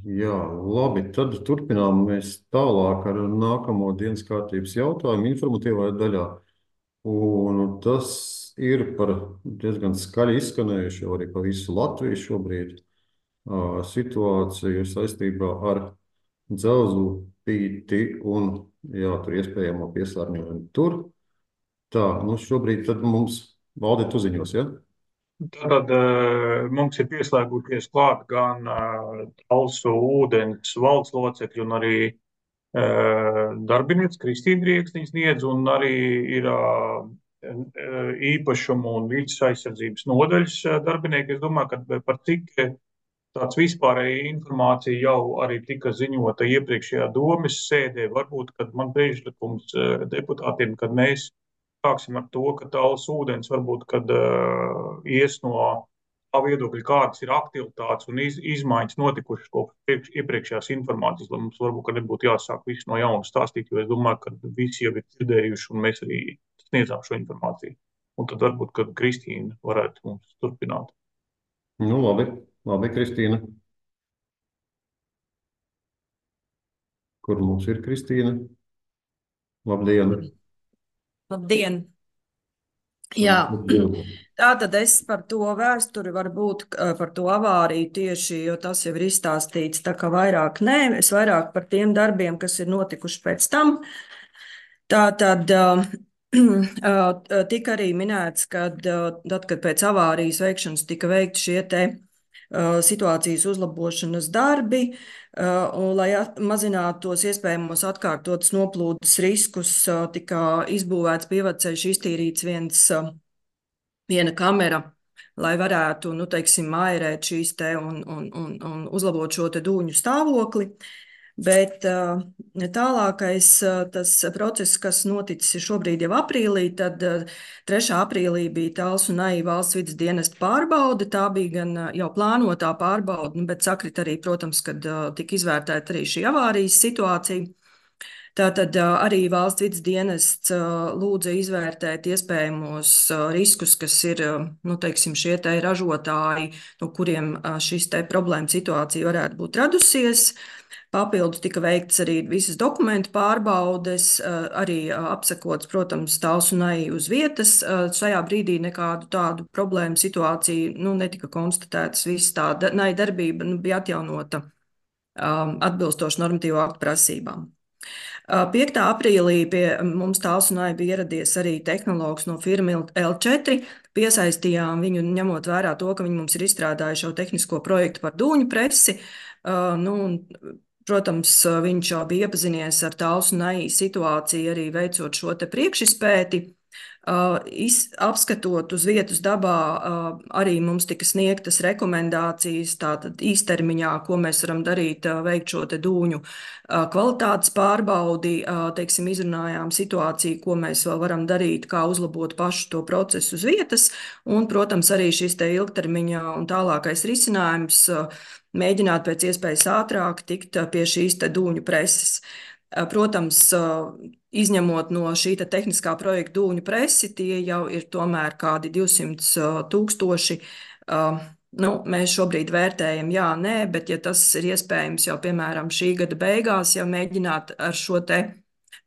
Jā, labi, tad turpinām mēs tālāk ar nākamo dienas kārtības jautājumu informatīvajā daļā. Un tas ir par diezgan skaļi izskanējuši jau arī pa visu Latviju šobrīd situāciju saistībā ar dzelzu pīti un jā, tur iespējamo piesārņojumu tur. Tā, nu šobrīd tad mums valdi tu ziņos, ja? Tad mums ir pieslēgušies klāt gan Talsu ūdens valdes locekļi un arī darbinieks Kristīna Rieksniņas Niedz, un arī ir īpašumu un vidas aizsardzības nodaļas darbinieki. Es domāju, ka par cik tāds vispārēja informācija jau arī tika ziņota iepriekšējā domes sēdē. Varbūt, kad man priekšlikums deputātiem, kad mēs sāksim ar to, ka tāls ūdens varbūt, kad ies no tā viedokļa, kādas ir aktivitātes un izmaiņas notikušas kopš iepriekšējās informācijas, lai mums varbūt, ka nebūtu jāsāk visu no jauna stāstīt, jo es domāju, ka visi jau ir dzirdējuši un mēs arī sniedzām šo informāciju. Un tad varbūt, kad Kristīna varētu mums turpināt. Nu, labi, labi, Kristīna. Kur mums ir Kristīna? Labdien! Labdien! Jā, tātad es par to vēsturi varbūt par to avāriju tieši, jo tas jau ir izstāstīts, tā kā vairāk nē, es vairāk par tiem darbiem, kas ir notikuši pēc tam. Tātad tika arī minēts, ka tad, kad pēc avārijas veikšanas tika veikti šie te situācijas uzlabošanas darbi, un, lai mazinātu tos iespējamos atkārtotas noplūdes riskus, tika izbūvēts pievedceļš, iztīrīts viena kamera, lai varētu, nu, teiksim, mairēt šīs te un uzlabot šo te dūņu stāvokli. Bet tālākais tas process, kas noticis šobrīd jau aprīlī, tad 3. aprīlī bija Talsu un Naija valsts vides dienesta pārbaude. Tā bija gan jau plānotā pārbaude, bet sakrit arī, protams, kad tika izvērtēta arī šī avārijas situācija. Tātad arī valsts vides dienests lūdza izvērtēt iespējamos riskus, kas ir, nu, teiksim, šie te ražotāji, no kuriem šis te problēma situācija varētu būt radusies. Papildus tika veikts arī visas dokumentu pārbaudes, arī apsekots, protams, Talsu un Naija uz vietas. Šajā brīdī nekādu tādu problēmu situāciju, nu, netika konstatētas. Viss tā Naija darbība, nu, bija atjaunota atbilstoši normatīvo aktu prasībām. 5. aprīlī pie mums Talsu un Naija bija ieradies arī tehnologs no firma L4. Piesaistījām viņu, ņemot vērā to, ka viņi mums ir izstrādājuši jau tehnisko projektu par dūņu presi. Nu, protams, viņš jau bija iepazinies ar Talsu un Naija situāciju, arī veicot šo te priekšizpēti. Apskatot uz vietas dabā, arī mums tika sniegtas rekomendācijas, tātad īstermiņā, ko mēs varam darīt, veikt šo te dūņu kvalitātes pārbaudi, teiksim, izrunājām situāciju, ko mēs vēl varam darīt, kā uzlabot pašu to procesu uz vietas, un, protams, arī šis te ilgtermiņā un tālākais risinājums mēģināt pēc iespējas ātrāk tikt pie šīs te dūņu preses. Protams, izņemot no šī tehniskā projekta dūņu presi, tie jau ir tomēr kādi 200 000. Nu, mēs šobrīd vērtējam, jā, nē, bet ja tas ir iespējams jau, piemēram, šī gada beigās, jau mēģināt ar šo te,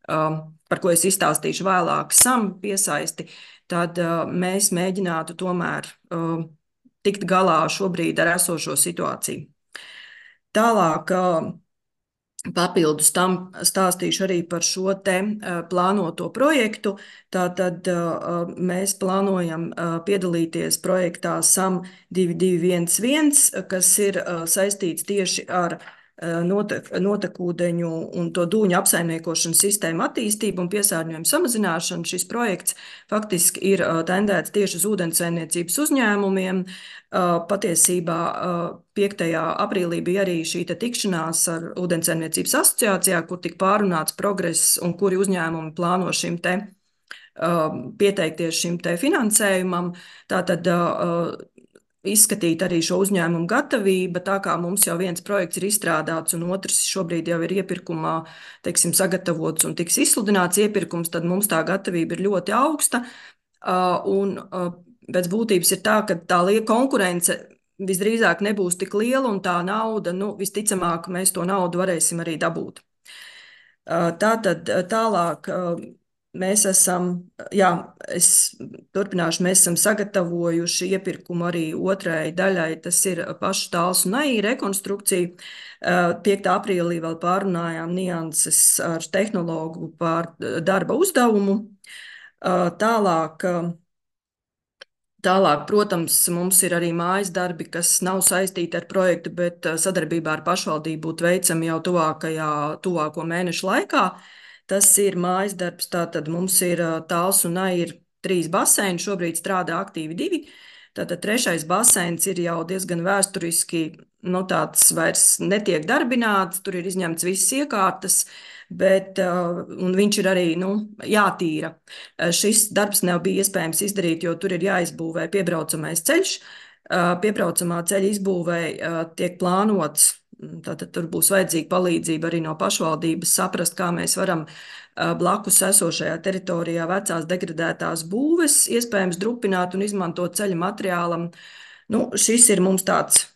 par ko es izstāstīšu vēlāk, SAM piesaisti, tad mēs mēģinātu tomēr tikt galā šobrīd ar esošo situāciju. Tālāk, papildus tam stāstīšu arī par šo te plānoto projektu. Tātad mēs plānojam piedalīties projektā SAM 2211, kas ir saistīts tieši ar notekūdeņu un to dūņu apsaimniekošanas sistēmu attīstību un piesārņojumu samazināšanu. Šis projekts faktiski ir tendēts tieši uz ūdenssaimniecības uzņēmumiem. Patiesībā 5. aprīlī bija arī šī tikšanās ar Ūdenssaimniecības asociācijā, kur tika pārunāts progress un kuri uzņēmumi plāno šim te pieteikties šim te finansējumam. Tātad izskatīt arī šo uzņēmumu gatavību, tā kā mums jau viens projekts ir izstrādāts un otrs šobrīd jau ir iepirkumā, teiksim, sagatavots un tiks izsludināts iepirkums, tad mums tā gatavība ir ļoti augsta. Un pēc būtības ir tā, ka tā liela konkurence visdrīzāk nebūs tik liela, un tā nauda, visticamāk, mēs to naudu varēsim arī dabūt. Tātad tālāk mēs esam, es turpināšu, mēs esam sagatavojuši iepirkumu arī otrai daļai, tas ir pašu Tāls un Ai rekonstrukcija. 5. aprīlī vēl pārunājām nianses ar tehnologu par darba uzdevumu. Tālāk, protams, mums ir arī mājas darbi, kas nav saistīti ar projektu, bet sadarbībā ar pašvaldību būtu veicami jau tuvāko mēnešu laikā. Tas ir mājas darbs, tātad mums ir Tāls un Ai ir 3 baseini, šobrīd strādā aktīvi 2. Tātad 3. baseins ir jau diezgan vēsturiski, tāds vairs netiek darbināts, tur ir izņemts visas iekārtas, un viņš ir arī jātīra. Šis darbs nav bija iespējams izdarīt, jo tur ir jāizbūvē piebraucamais ceļš. Piebraucamā ceļa izbūvē tiek plānots, tātad tur būs vajadzīga palīdzība arī no pašvaldības saprast, kā mēs varam blakus esošajā teritorijā vecās degradētās būves iespējams drupināt un izmantot ceļa materiālam. Šis ir mums tāds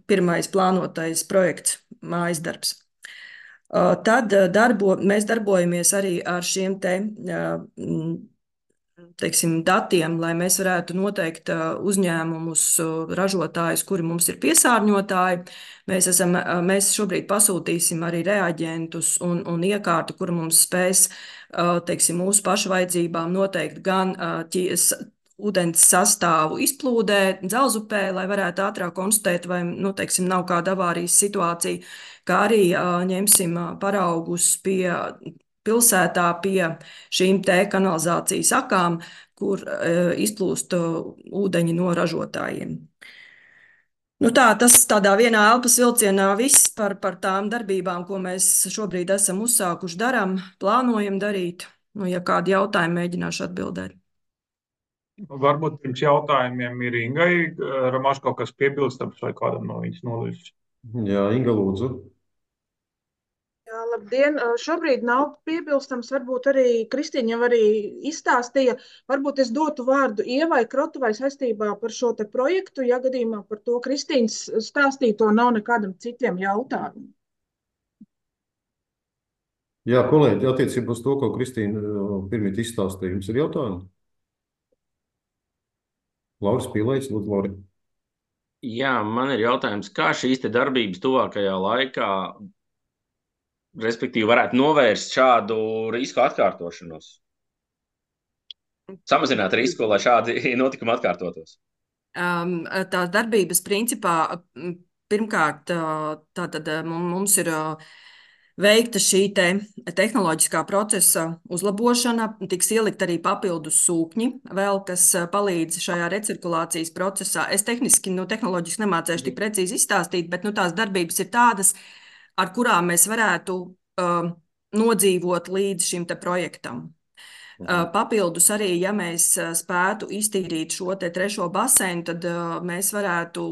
pirmais plānotais projekts, mājas darbs. Tad mēs darbojamies arī ar šiem datiem, lai mēs varētu noteikt uzņēmumus, ražotājus, kuri mums ir piesārņotāji. Mēs šobrīd pasūtīsim arī reaģentus un iekārtu, kur mums spēs, mūsu pašu vajadzībām noteikt gan ūdens sastāvu izplūdē, Dzelzupē, lai varētu ātrāk konstatēt, vai, nav kāda avārijas situācija, kā arī ņemsim paraugus pilsētā pie šīm kanalizācijas akām, kur izplūst ūdeņi no ražotājiem. Tas tādā vienā elpas vilcienā viss par tām darbībām, ko mēs šobrīd esam uzsākuši darām, plānojam darīt. Ja kādi jautājumi, mēģināšu atbildēt. Varbūt pirms jautājumiem ir Ingai Ramaš kaut kas piebilstams vai kādam no viņas nodaļas. Jā, Inga, lūdzu. Jā, labdien! Šobrīd nav piebilstams, varbūt arī Kristīna jau arī izstāstīja. Varbūt es dotu vārdu Ievai Krotuvai saistībā par šo te projektu, ja gadījumā par to Kristīnas stāstīto nav nekādam citiem jautājumiem. Jā, kolēģi, attiecībā uz to, ko Kristīna pirmīt izstāstīja, jums ir jautājumi? Lauris Pīlējs, lūdzu, Lauri. Jā, man ir jautājums, kā šīs te darbības tuvākajā laikā, respektīvi, varētu novērst šādu risku atkārtošanos? Samazināt risku, lai šādi notikumi atkārtotos? Tās darbības principā, pirmkārt, tātad mums ir veikta šī tehnoloģiskā procesa uzlabošana, tiks ielikt arī papildus sūkņi, vēl kas palīdz šajā recirkulācijas procesā. Es tehnoloģiski nemācēšu tik precīzi izstāstīt, bet tās darbības ir tādas, ar kurām mēs varētu nodzīvot līdz šim projektam. Papildus arī, ja mēs spētu iztīrīt šo 3. baseinu, tad mēs varētu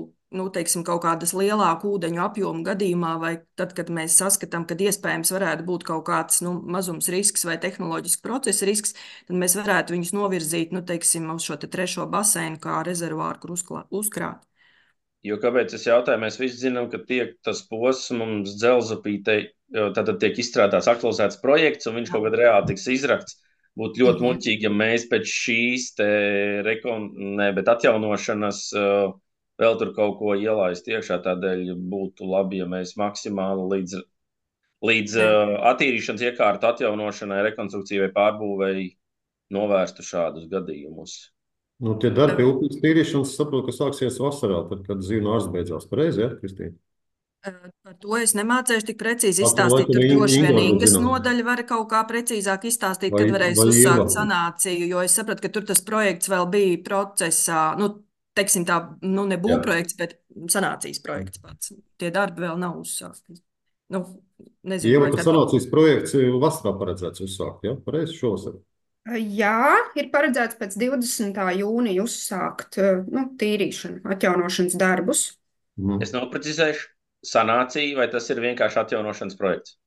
kaut kādas lielāku ūdeņu apjomu gadījumā, vai tad, kad mēs saskatām, kad iespējams varētu būt kaut kāds mazums risks vai tehnoloģisks procesa risks, tad mēs varētu viņus novirzīt, uz šo 3. baseinu kā rezervāru, kur uzkrāt. Jo kāpēc es jautāju, mēs visi zinām, ka tiek tas posms Dzelzupītei, tātad tiek izstrādāts, aktualizēts projekts, un viņš kaut kad reāli tiks izrakts. Būtu ļoti muļķīgi, ja mēs pēc šīs atjaunošanas vēl tur kaut ko ielaist iekšā, tādēļ būtu labi, ja mēs maksimāli līdz attīrīšanas iekārtu atjaunošanai, rekonstrukcijai vai pārbūvēji novērstu šādus gadījumus. Tie darbi pie upes tīrīšanas, saprotu, ka sāksies vasarā, tad, kad dzīvnieku ārsts beidzās. Pareizi, ja, Kristīna? Par to es nemācēšu tik precīzi izstāstīt. Tur droši vien Ingas nodaļa var kaut kā precīzāk izstāstīt, kad varēs uzsākt sanāciju, jo es sapratu, ka tur tas projekts vēl bija procesā, ne būvprojekts, bet sanācijas projekts pats. Tie darbi vēl nav uzsākti. Nezinu, Ieva, ka sanācijas projekts vasarā paredzēts uzsākt, ja? Pareizi šovasar? Jā, ir paredzēts pēc 20. jūnija uzsākt tīrīšanu, atjaunošanas darbus. Es noprecizēšu, sanācija, vai tas ir vienkārši atjaunošanas projekts?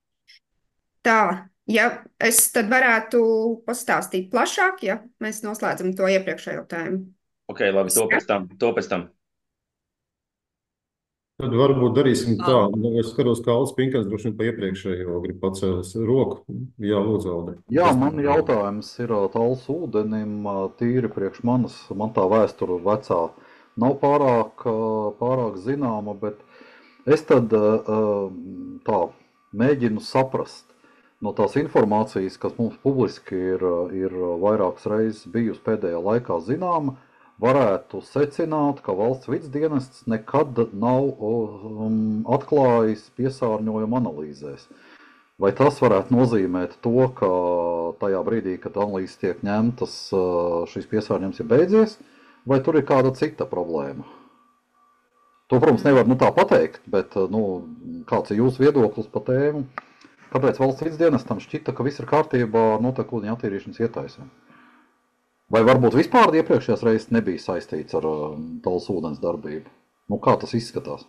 Tā, ja es tad varētu pastāstīt plašāk, ja mēs noslēdzam to iepriekšējo jautājumu. Ok, labi, to pēc tam. Tad varbūt darīsim tā. Ah, Es skatos, kā Alts Pinkans droši vien pa iepriekšējo grib pacēlis roku. Jā, lūdzu, Aldi. Jā, Kas man tev? jautājums ir tāls ūdenim, tīri priekš manas, man tā vēsture vecā nav pārāk zināma, bet es tad tā mēģinu saprast no tās informācijas, kas mums publiski ir vairākas reizes bijusi pēdējā laikā zināma, varētu secināt, ka valsts vidsdienests nekad nav atklājis piesārņojumu analīzēs. Vai tas varētu nozīmēt to, ka tajā brīdī, kad analīzes tiek ņemtas, šis piesārņojums ir beidzies, vai tur ir kāda cita problēma? To, protams, nevar tā pateikt, bet kāds ir jūsu viedoklis par tēmu? Kāpēc valsts vidsdienestam šķita, ka viss ir kārtībā notekūdeņu attīrīšanas ietaisēm? Vai varbūt vispār iepriekšējās reizes nebija saistīts ar Tallas ūdens darbību? Kā tas izskatās?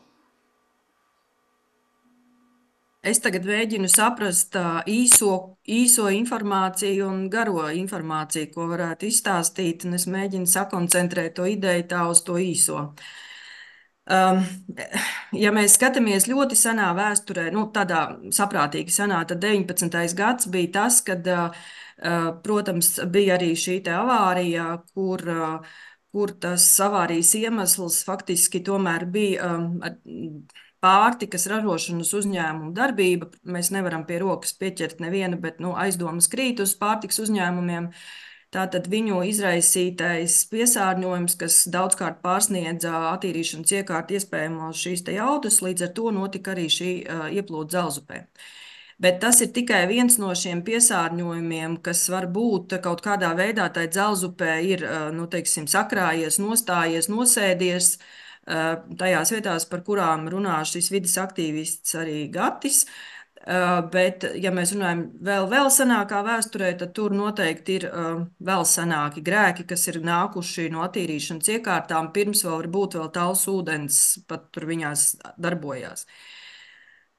Es tagad mēģinu saprast īso informāciju un garo informāciju, ko varētu izstāstīt, un es mēģinu sakoncentrēt to ideju tā uz to īso. Ja mēs skatāmies ļoti senā vēsturē, tādā saprātīgi senā, tad 19. gads bija tas, kad, protams, bija arī šī te avārija, kur tas avārijas iemesls faktiski tomēr bija pārtikas ražošanas uzņēmumu darbība. Mēs nevaram pie rokas pieķert nevienu, bet aizdomas krīt uz pārtikas uzņēmumiem. Tātad viņu izraisītais piesārņojums, kas daudzkārt pārsniedza attīrīšanas iekārtu iespējamos šīs te jaudas, līdz ar to notika arī šī ieplūde Dzelzupē. Bet tas ir tikai viens no šiem piesārņojumiem, kas var būt kaut kādā veidā tai Dzelzupē ir, teiksim, sakrājies, nostājies, nosēdies tajās vietās, par kurām runā šis vides aktīvists arī Gatis. Bet, ja mēs runājam vēl senākā vēsturē, tad tur noteikti ir vēl senāki grēki, kas ir nākuši no attīrīšanas iekārtām, pirms vēl varbūt vēl Tallas ūdens pat tur viņās darbojās.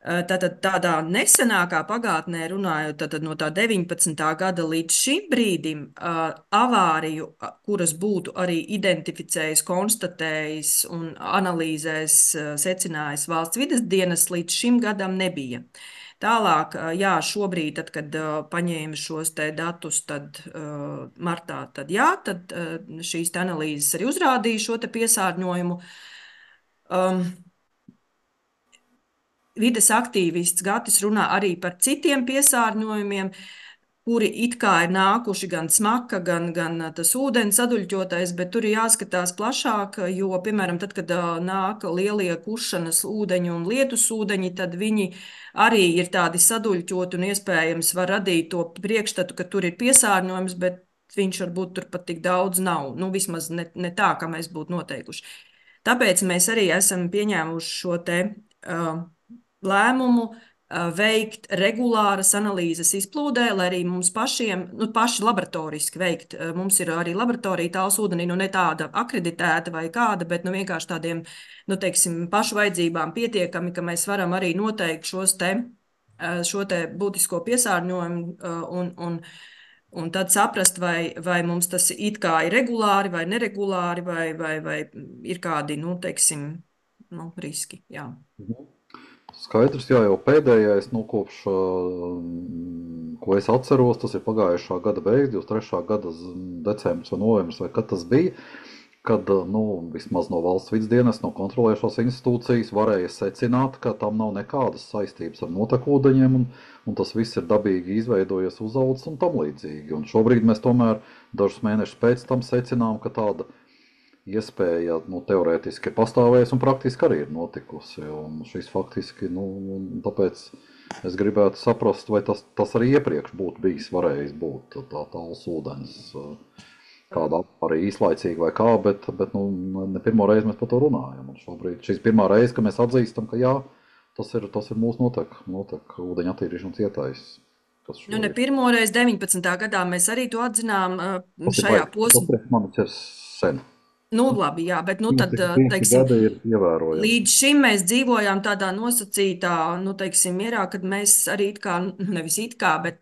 Tātad tādā nesenākā pagātnē runājot, tātad no tā 19. gada līdz šim brīdim avāriju, kuras būtu arī identificējis, konstatējis un analīzēs secinājis valsts vides dienas, līdz šim gadam nebija. Tālāk, jā, šobrīd, tad, kad paņēma šos te datus, tad martā, tad šīs te analīzes arī uzrādīja šo te piesārņojumu. Vides aktīvists Gatis runā arī par citiem piesārņojumiem, kuri it kā ir nākuši gan smaka, gan tas ūdens saduļķotais, bet tur ir jāskatās plašāk, jo, piemēram, tad, kad nāk lielie kušanas ūdeņi un lietus ūdeņi, tad viņi arī ir tādi saduļķoti un iespējams var radīt to priekšstatu, ka tur ir piesārņojums, bet viņš varbūt tur pat tik daudz nav. Vismaz ne tā, kā mēs būtu noteikuši. Tāpēc mēs arī esam pieņēmuši šo te lēmumu veikt regulāras analīzes izplūdē, lai arī mums pašiem, paši laboratoriski veikt. Mums ir arī laboratorija Tallas ūdenī, ne tāda akreditēta vai kāda, bet vienkārši tādiem, teiksim, pašu vajadzībām pietiekami, ka mēs varam arī noteikt šo te būtisko piesārņojumu un tad saprast, vai mums tas it kā ir regulāri vai neregulāri, vai ir kādi, teiksim, riski, jā. Skaidrs, jā, jau pēdējais, kopš, ko es atceros, tas ir pagājušā gada beigas, 23. gada decembris vai novembris, vai kad tas bija, kad, vismaz no valsts vidsdienas, no kontrolējušās institūcijas varēja secināt, ka tam nav nekādas saistības ar notekūdeņiem, un tas viss ir dabīgi izveidojies, uzaudzis un tam līdzīgi. Un šobrīd mēs tomēr dažus mēnešus pēc tam secinām, ka tāda iespēja teorētiski pastāvēs un praktiski arī ir notikusi. Un šis faktiski, tāpēc es gribētu saprast, vai tas arī iepriekš būtu bijis varējis būt tā Tallas ūdens, kādā arī īslaicīgi vai kā, bet ne pirmo reizi mēs par to runājam. Un šobrīd šīs pirmā reize, ka mēs atzīstam, ka jā, tas ir mūsu notek ūdeņa attīrīšanas ietaises. Ne pirmo reizi 19. gadā mēs arī to atzinām šajā posmā. Tas manis ir sen. Labi, jā, bet tad, teiksim, līdz šim mēs dzīvojām tādā nosacītā, teiksim, mierā, kad mēs arī nevis bet,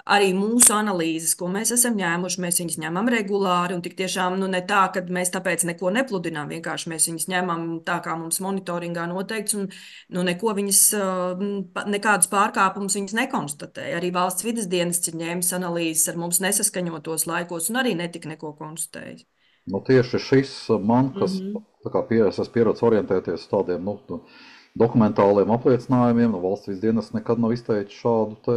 arī mūsu analīzes, ko mēs esam ņēmuši, mēs viņus ņemam regulāri, un tik tiešām ne tā, ka mēs tāpēc neko nepludinām, vienkārši mēs viņus ņemam tā, kā mums monitoringā noteikts, un neko viņas, nekādus pārkāpumus viņas nekonstatē. Arī valsts vides dienests ir ņēmis analīzes ar mums nesaskaņotos laikos, un arī netika neko konstatējis. Tieši šis man, kas es esmu pieredzējis orientēties uz tādiem dokumentāliem apliecinājumiem, valsts vides dienests nekad nav izteicis šādu te,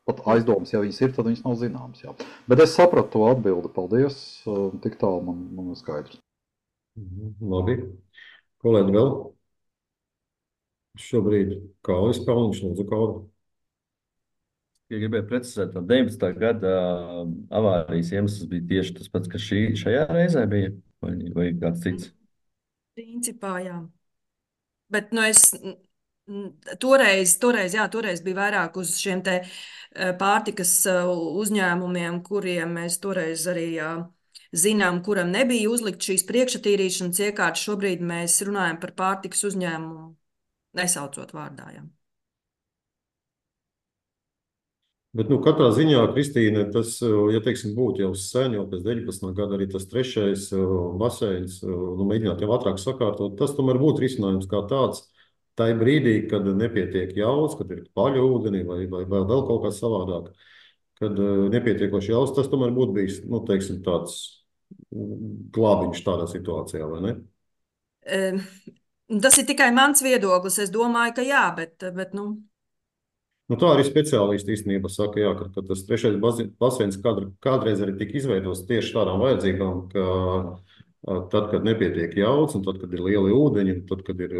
pat aizdomas, ja viņas ir, tad viņas nav zināmas. Jā. Bet es sapratu to atbildi, paldies, tik tālu man ir skaidrs. Labi. Kolēģi vēl? Šobrīd Kaulis Kalniņš, lūdzu Kauli. Ja gribēju precizēt, tad 19. gada avārijas iemesls bija tieši tas pats, kas šajā reizē bija, vai kāds cits? Principā, jā. Bet toreiz bija vairāk uz šiem te pārtikas uzņēmumiem, kuriem mēs toreiz arī zinām, kuram nebija uzlikt šīs priekšatīrīšanas iekārtas. Šobrīd mēs runājam par pārtikas uzņēmumu, nesaucot vārdā, jā. Bet, katrā ziņā, Kristīne, tas, ja teiksim, būtu jau sen, jau pēc 19. gada arī tas 3. baseins, mēģināt jau ātrāk sakārtot, tas tomēr būtu risinājums kā tāds, tai brīdī, kad nepietiek jauds, kad ir paļu ūdeni vai vēl kaut kā savādāk, kad nepietiekoši jauds, tas tomēr būtu bijis, teiksim, tāds glābiņš tādā situācijā, vai ne? Tas ir tikai mans viedoklis, es domāju, ka jā, bet tā arī speciālisti īstenībā saka, jā, ka tas 3. baseins kādreiz arī tika izveidots tieši tādām vajadzībām, ka tad, kad nepietiek jauds, un tad, kad ir lieli ūdeņi, un tad, kad ir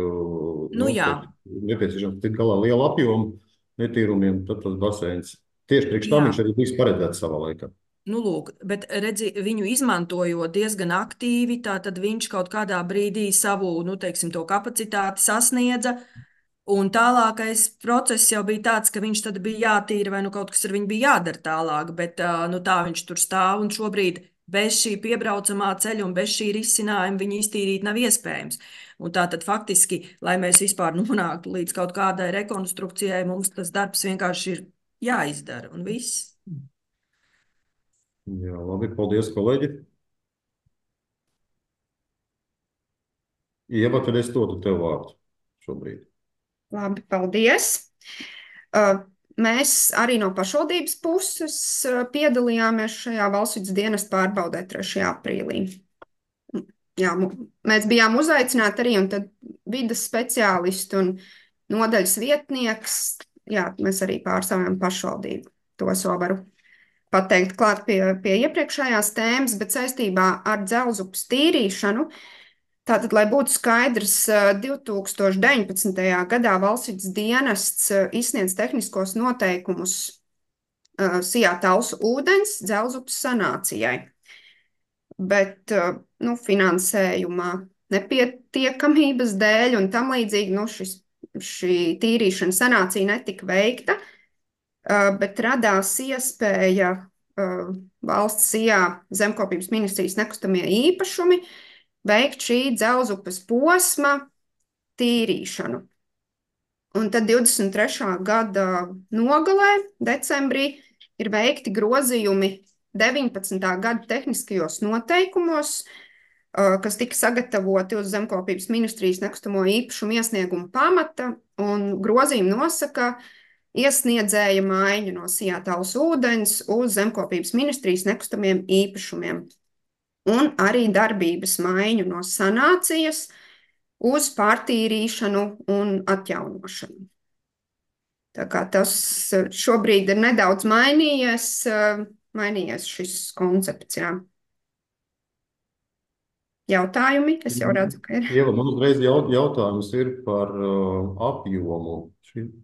nepieciešams tik galā liela apjoma netīrumiem, tad tas baseins tieši priekš tam viņš arī bijis paredzēts savā laikā. Lūk, bet redzi, viņu izmantojot diezgan aktīvi, tad viņš kaut kādā brīdī savu, teiksim, to kapacitāti sasniedza. Un tālākais process jau bija tāds, ka viņš tad bija jātīra vai kaut kas ar viņu bija jādara tālāk, bet tā viņš tur stāv un šobrīd bez šī piebraucamā ceļa un bez šī risinājuma viņu iztīrīt nav iespējams. Un tā tad faktiski, lai mēs vispār nonāktu līdz kaut kādai rekonstrukcijai, mums tas darbs vienkārši ir jāizdara un viss. Jā, labi, paldies, kolēģi. Ieva, tad es dotu tev vārdu šobrīd. Labi, paldies. Mēs arī no pašvaldības puses piedalījāmies šajā valsts vides dienesta pārbaudē 3. aprīlī. Jā, mēs bijām uzaicināti arī, un tad vides speciālisti un nodaļas vietnieks. Jā, mēs arī pārstāvjam pašvaldību. To es vēl varu pateikt klāt pie iepriekšējās tēmas, bet saistībā ar Dzelzupes tīrīšanu. Tātad, lai būtu skaidrs, 2019. gadā valsts vides dienests izsniedz tehniskos noteikumus Sijā Talsu ūdens Dzelzupes sanācijai. Bet finansējuma nepietiekamības dēļ un tam līdzīgi šī tīrīšana sanācija netika veikta, bet radās iespēja valsts Sijā zemkopības ministrijas nekustamie īpašumi veikt šī Dzelzupes posma tīrīšanu. Un tad 23. gada nogalē, decembrī, ir veikti grozījumi 19. gada tehniskajos noteikumos, kas tika sagatavoti uz zemkopības ministrijas nekustamo īpašumu iesnieguma pamata, un grozījumi nosaka iesniedzēja maiņu no Sijā Talsu ūdens uz zemkopības ministrijas nekustamiem īpašumiem. Un arī darbības maiņu no sanācijas uz pārtīrīšanu un atjaunošanu. Tā kā tas šobrīd ir nedaudz mainījies šis koncepts, jā. Jautājumi? Es jau redzu, ka ir. Ieva, man uzreiz jautājums ir par apjomu.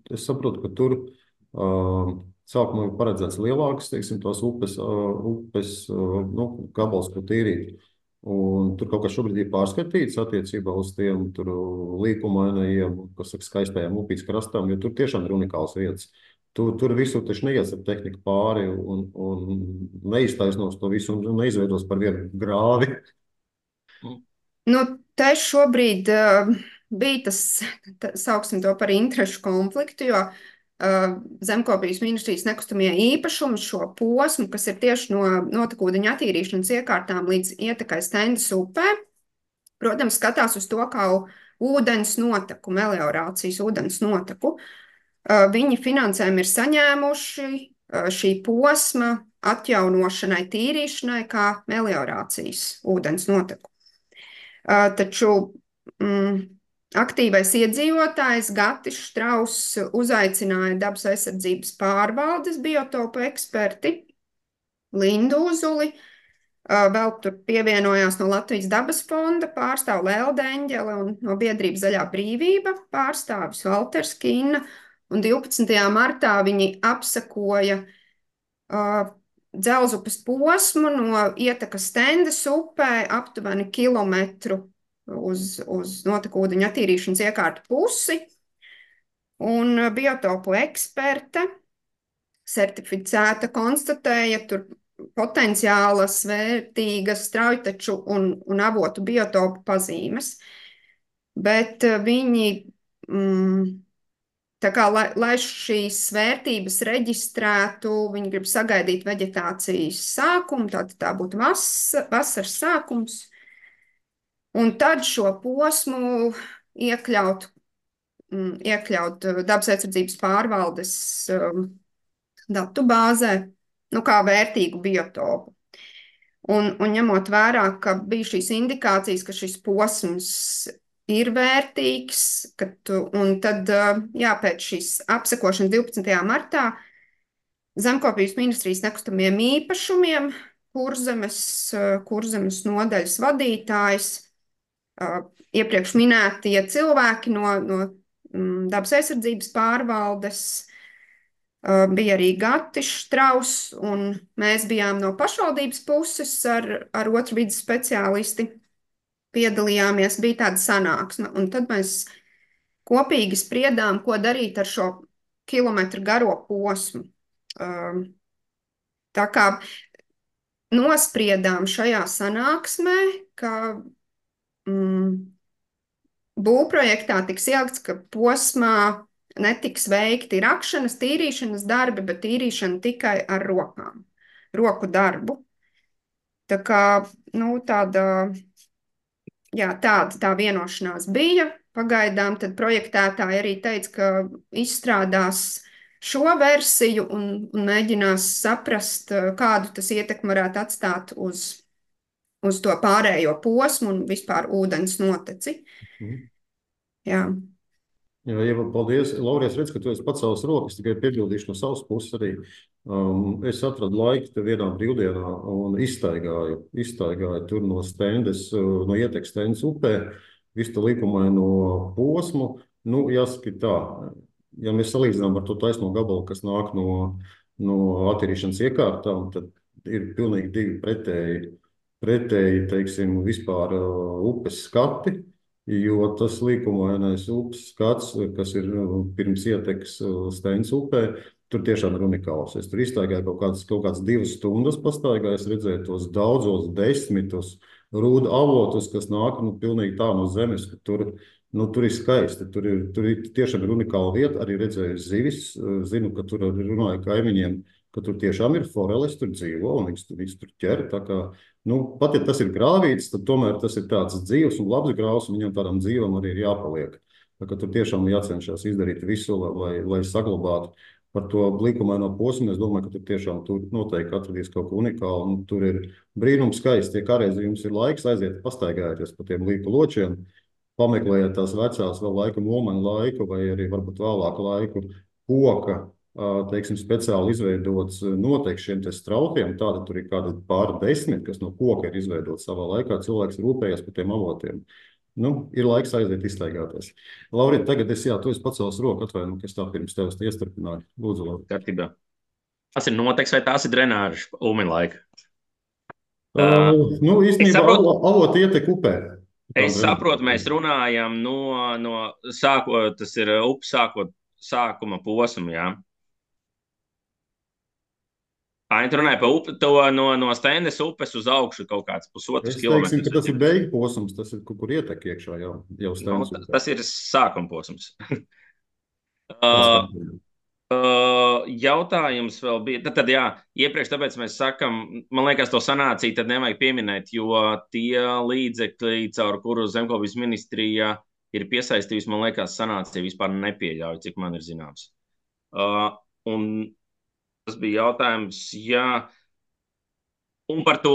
Es saprotu, ka tur sākumā ir paredzēts lielākas, teiksim, tās upes gabals, ko tīrīt. Un tur kaut kas šobrīd ir pārskatīts attiecībā uz tiem līkumainajiem, kas saka, skaistajām upīs krastām, jo tur tiešām ir unikāls vietas. Tur visur taču neies ar tehniku pāri un neiztaisnos to visu un neizveidos par vienu grāvi. Te šobrīd bija tas, sauksim to par interešu konfliktu, jo Zemkopības ministrijas nekustamie īpašumi šo posmu, kas ir tieši no notekūdeņa attīrīšanas iekārtām līdz ietekai Stendas upē, protams, skatās uz to kā ūdens noteku, meliorācijas ūdens noteku. Viņi finansējumu ir saņēmuši šī posma atjaunošanai, tīrīšanai kā meliorācijas ūdens noteku. Taču aktīvais iedzīvotājs Gatis Štrauss uzaicināja dabas aizsardzības pārvaldes biotopu eksperti Lindu Uzuli, vēl tur pievienojās no Latvijas dabas fonda pārstāv Lelde Eņģele un no biedrības Zaļā brīvība pārstāvis Valters Kinna, un 12. martā viņi apsekoja Dzelzupes posmu no ietekas Stendas upē aptuveni kilometru uz notekūdeņa attīrīšanas iekārtu pusi, un biotopu eksperte certificēta konstatēja tur potenciālas, vērtīgas straujtaču un avotu biotopu pazīmes, bet viņi, tā kā, lai šīs vērtības reģistrētu, viņi grib sagaidīt veģetācijas sākumu, tā būtu vasaras sākums, un tad šo posmu iekļaut dabas aizsardzības pārvaldes datu bāzē, kā vērtīgu biotopu. Un ņemot vērā, ka bija šīs indikācijas, ka šis posms ir vērtīgs, un tad, pēc šīs apsekošanas 12. martā Zemkopības ministrijas nekustamiem īpašumiem Kurzemes nodaļas vadītājs, iepriekš minētie cilvēki no dabas aizsardzības pārvaldes, bija arī Gatis Štrauss, un mēs bijām no pašvaldības puses ar otru vides speciālisti piedalījāmies, bija tāda sanāksme, un tad mēs kopīgi spriedām, ko darīt ar šo kilometru garo posmu. Tā kā nospriedām šajā sanāksmē, ka būvprojektā tiks ielikts, ka posmā netiks veikti rakšanas, tīrīšanas darbi, bet tīrīšana tikai ar rokām, roku darbu. Tā kā, tā vienošanās bija. Pagaidām tad projektētāji arī teica, ka izstrādās šo versiju un mēģinās saprast, kādu tas ietekmi varētu atstāt uz to pārējo posmu un vispār ūdens noteci. Jā. Jā, Ieva, paldies. Laura, es redzu, ka tu esi pacēlis rokas, tikai piebildīšu no savas puses arī. Es atradu laiku te vienā brīvdienā un izstaigāju tur no Stendas, no ietekas Stendas upē, visu to likumaino posmu. Jāsaka tā, ja mēs salīdzinām ar to taisno gabalu, kas nāk no attīrīšanas iekārtām, tad ir pilnīgi divi pretēji, teiksim, vispār upes skati, jo tas līkumainais upes skats, kas ir pirms ietekas Stendas upē, tur tiešām ir unikāls. Es tur izstaigāju kaut kāds 2 stundas pastaigāju, es redzēju tos daudzos desmitus rūdu avotus, kas nāk pilnīgi tā no zemes, ka tur ir skaisti, tur ir tiešām ir unikāla vieta, arī redzēju zivis, zinu, ka tur runāju kaimiņiem, ka tur tiešām ir foreles, tur dzīvo un viņas tur ķer, tā kā, pat ja tas ir grāvīts, tad tomēr tas ir tāds dzīvs un labs grāvs, un viņam tādam dzīvam arī ir jāpaliek. Tā kā tur tiešām jācenšas izdarīt visu, lai saglabātu par to blikumaino posmu. Es domāju, ka tur tiešām noteikti atradīs kaut ko unikālu, un tur ir brīnums skaisti. Ja kādreiz jums ir laiks, aiziet pastaigāties pa tiem līku ločiem, pameklējiet tās vecās vēl laika Mulmaņa laiku vai arī varbūt vēlāku laiku koka, teiksim, speciāli izveidots noteikti šiem te straukiem, tāda tur ir kādi pāri 10, kas no koka ir izveidots savā laikā, cilvēks rūpējas par tiem avotiem. Ir laiks aiziet izstaigāties. Laurita, tagad tu esi pacēlis roku, atvainu, ka es tā pirms tevis iestarpināju. Lūdzu, Laurita. Kārtībā. Tas ir noteks vai tās ir drenāžas Ulmaņa laika? Īstenībā avoti ietek upē. Es saprotu, mēs runājam tas ir upes sākuma posmu, jā. Tu runāji par upi, to no Stendas upes uz augšu kaut kāds pusotrs kilometrs. Es teiksim, ka tas ir beigu posms, tas ir kur ietek iekšā jau Stendas upē. Tas ir sākuma posms. Jautājums vēl bija. Tad jā, iepriekš tāpēc mēs sakam, man liekas, to sanāciju tad nevajag pieminēt, jo tie līdzekļi, caur kuru Zemkopības ministrija ir piesaistījusi, man liekas, sanācija vispār nepieļauj, cik man ir zināms. Un tas bija jautājums, jā. Un par to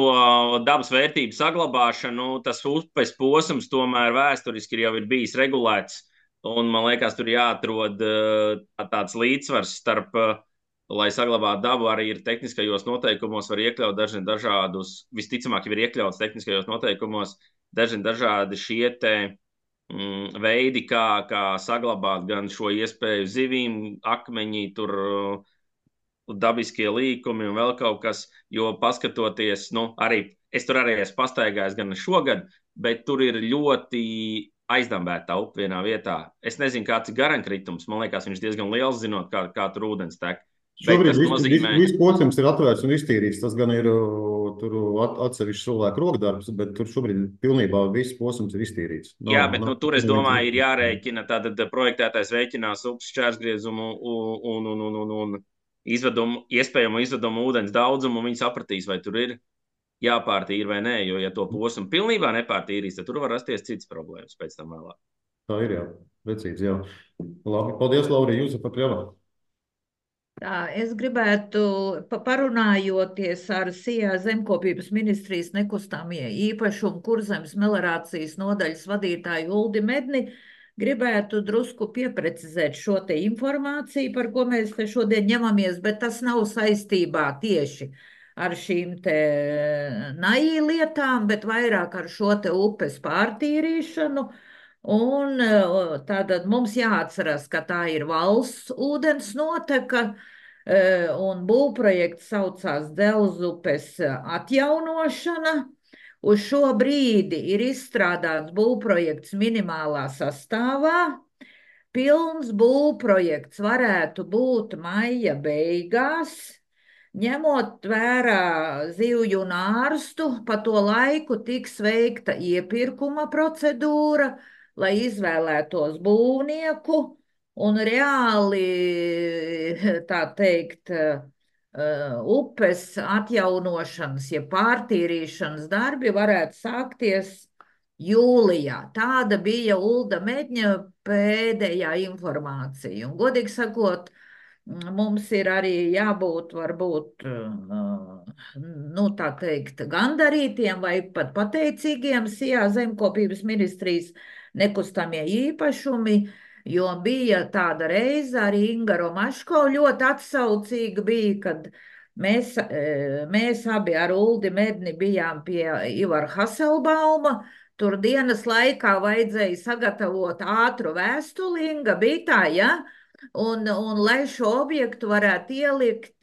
dabas vērtību saglabāšanu, tas upes posms tomēr vēsturiski jau ir bijis regulēts. Un man liekas, tur jāatrod tāds līdzsvars starp, lai saglabātu dabu, arī ir tehniskajos noteikumos, var iekļaut dažādus, visticamāk, jau ir iekļauts tehniskajos noteikumos, dažādi šie te veidi, kā saglabāt gan šo iespēju zivīm, akmeņi, tur dabiskie līkumi un vēl kaut kas, jo paskatoties, arī es tur arī esmu pastaigājis gan šogad, bet tur ir ļoti aizdambēta upe vienā vietā. Es nezinu, kāds ir garankritums, man liekas, viņš diezgan liels, zinot, kā tur ūdens tek. Šobrīd viss posms ir atvērts un iztīrīts, tas gan ir tur atsevišķs cilvēku rokdarbs, bet tur šobrīd pilnībā viss posms ir iztīrīts. Jā, bet tur, es domāju, ir jārēķina, tātad projektētājs rēķinās upes šķērsgriezumu un iespējamo izvedumu ūdens daudzumu, un viņi sapratīs, vai tur ir jāpārtīra vai nē, jo ja to posmu pilnībā nepārtīrīs, tad tur var rasties cits problēmas pēc tam vēlāk. Tā ir, jā, precīzi, jā. Labi, paldies, Laurija, jūs pat jau. Tā, es gribētu, parunājoties ar SIA Zemkopības ministrijas nekustamie īpašumu Kurzemes melorācijas nodaļas vadītāju Uldi Medni, gribētu drusku pieprecizēt šo te informāciju, par ko mēs te šodien ņemamies, bet tas nav saistībā tieši ar šīm te NAI lietām, bet vairāk ar šo te upes pārtīrīšanu. Un tātad mums jāatceras, ka tā ir valsts ūdens noteka, un būvprojekts saucās Delzupes atjaunošana. Uz šo brīdi ir izstrādāts būvprojekts minimālā sastāvā. Pilns būvprojekts varētu būt maija beigās, ņemot vērā zivju un ārstu, pa to laiku tiks veikta iepirkuma procedūra, lai izvēlētos būvnieku un reāli, tā teikt, upes atjaunošanas, ja pārtīrīšanas darbi varētu sākties jūlijā. Tāda bija Ulda Medņa pēdējā informācija. Un, godīgi sakot, mums ir arī jābūt varbūt, tā teikt, gandarītiem vai pat pateicīgiem SIA Zemkopības ministrijas nekustamie īpašumi, jo bija tāda reize arī Inga Romaško ļoti atsaucīga bija, kad mēs abi ar Uldi Medni bijām pie Ivara Haselbauma. Tur dienas laikā vajadzēja sagatavot ātru vēstuli, Inga bija tā, ja? Un lai šo objektu varētu ielikt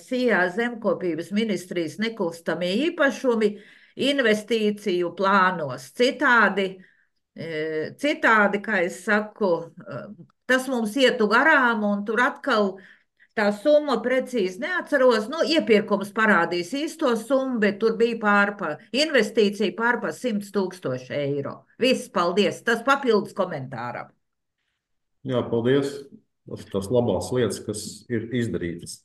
SIA Zemkopības ministrijas nekustamie īpašumi investīciju plānos. Citādi, kā es saku, tas mums ietu garām, un tur atkal tā summa precīzi neatceros. Iepirkums parādīs īsto summu, bet tur bija investīcija pārpa 100 000 eiro. Viss, paldies. Tas papildus komentāram. Jā, paldies. Tas labās lietas, kas ir izdarītas.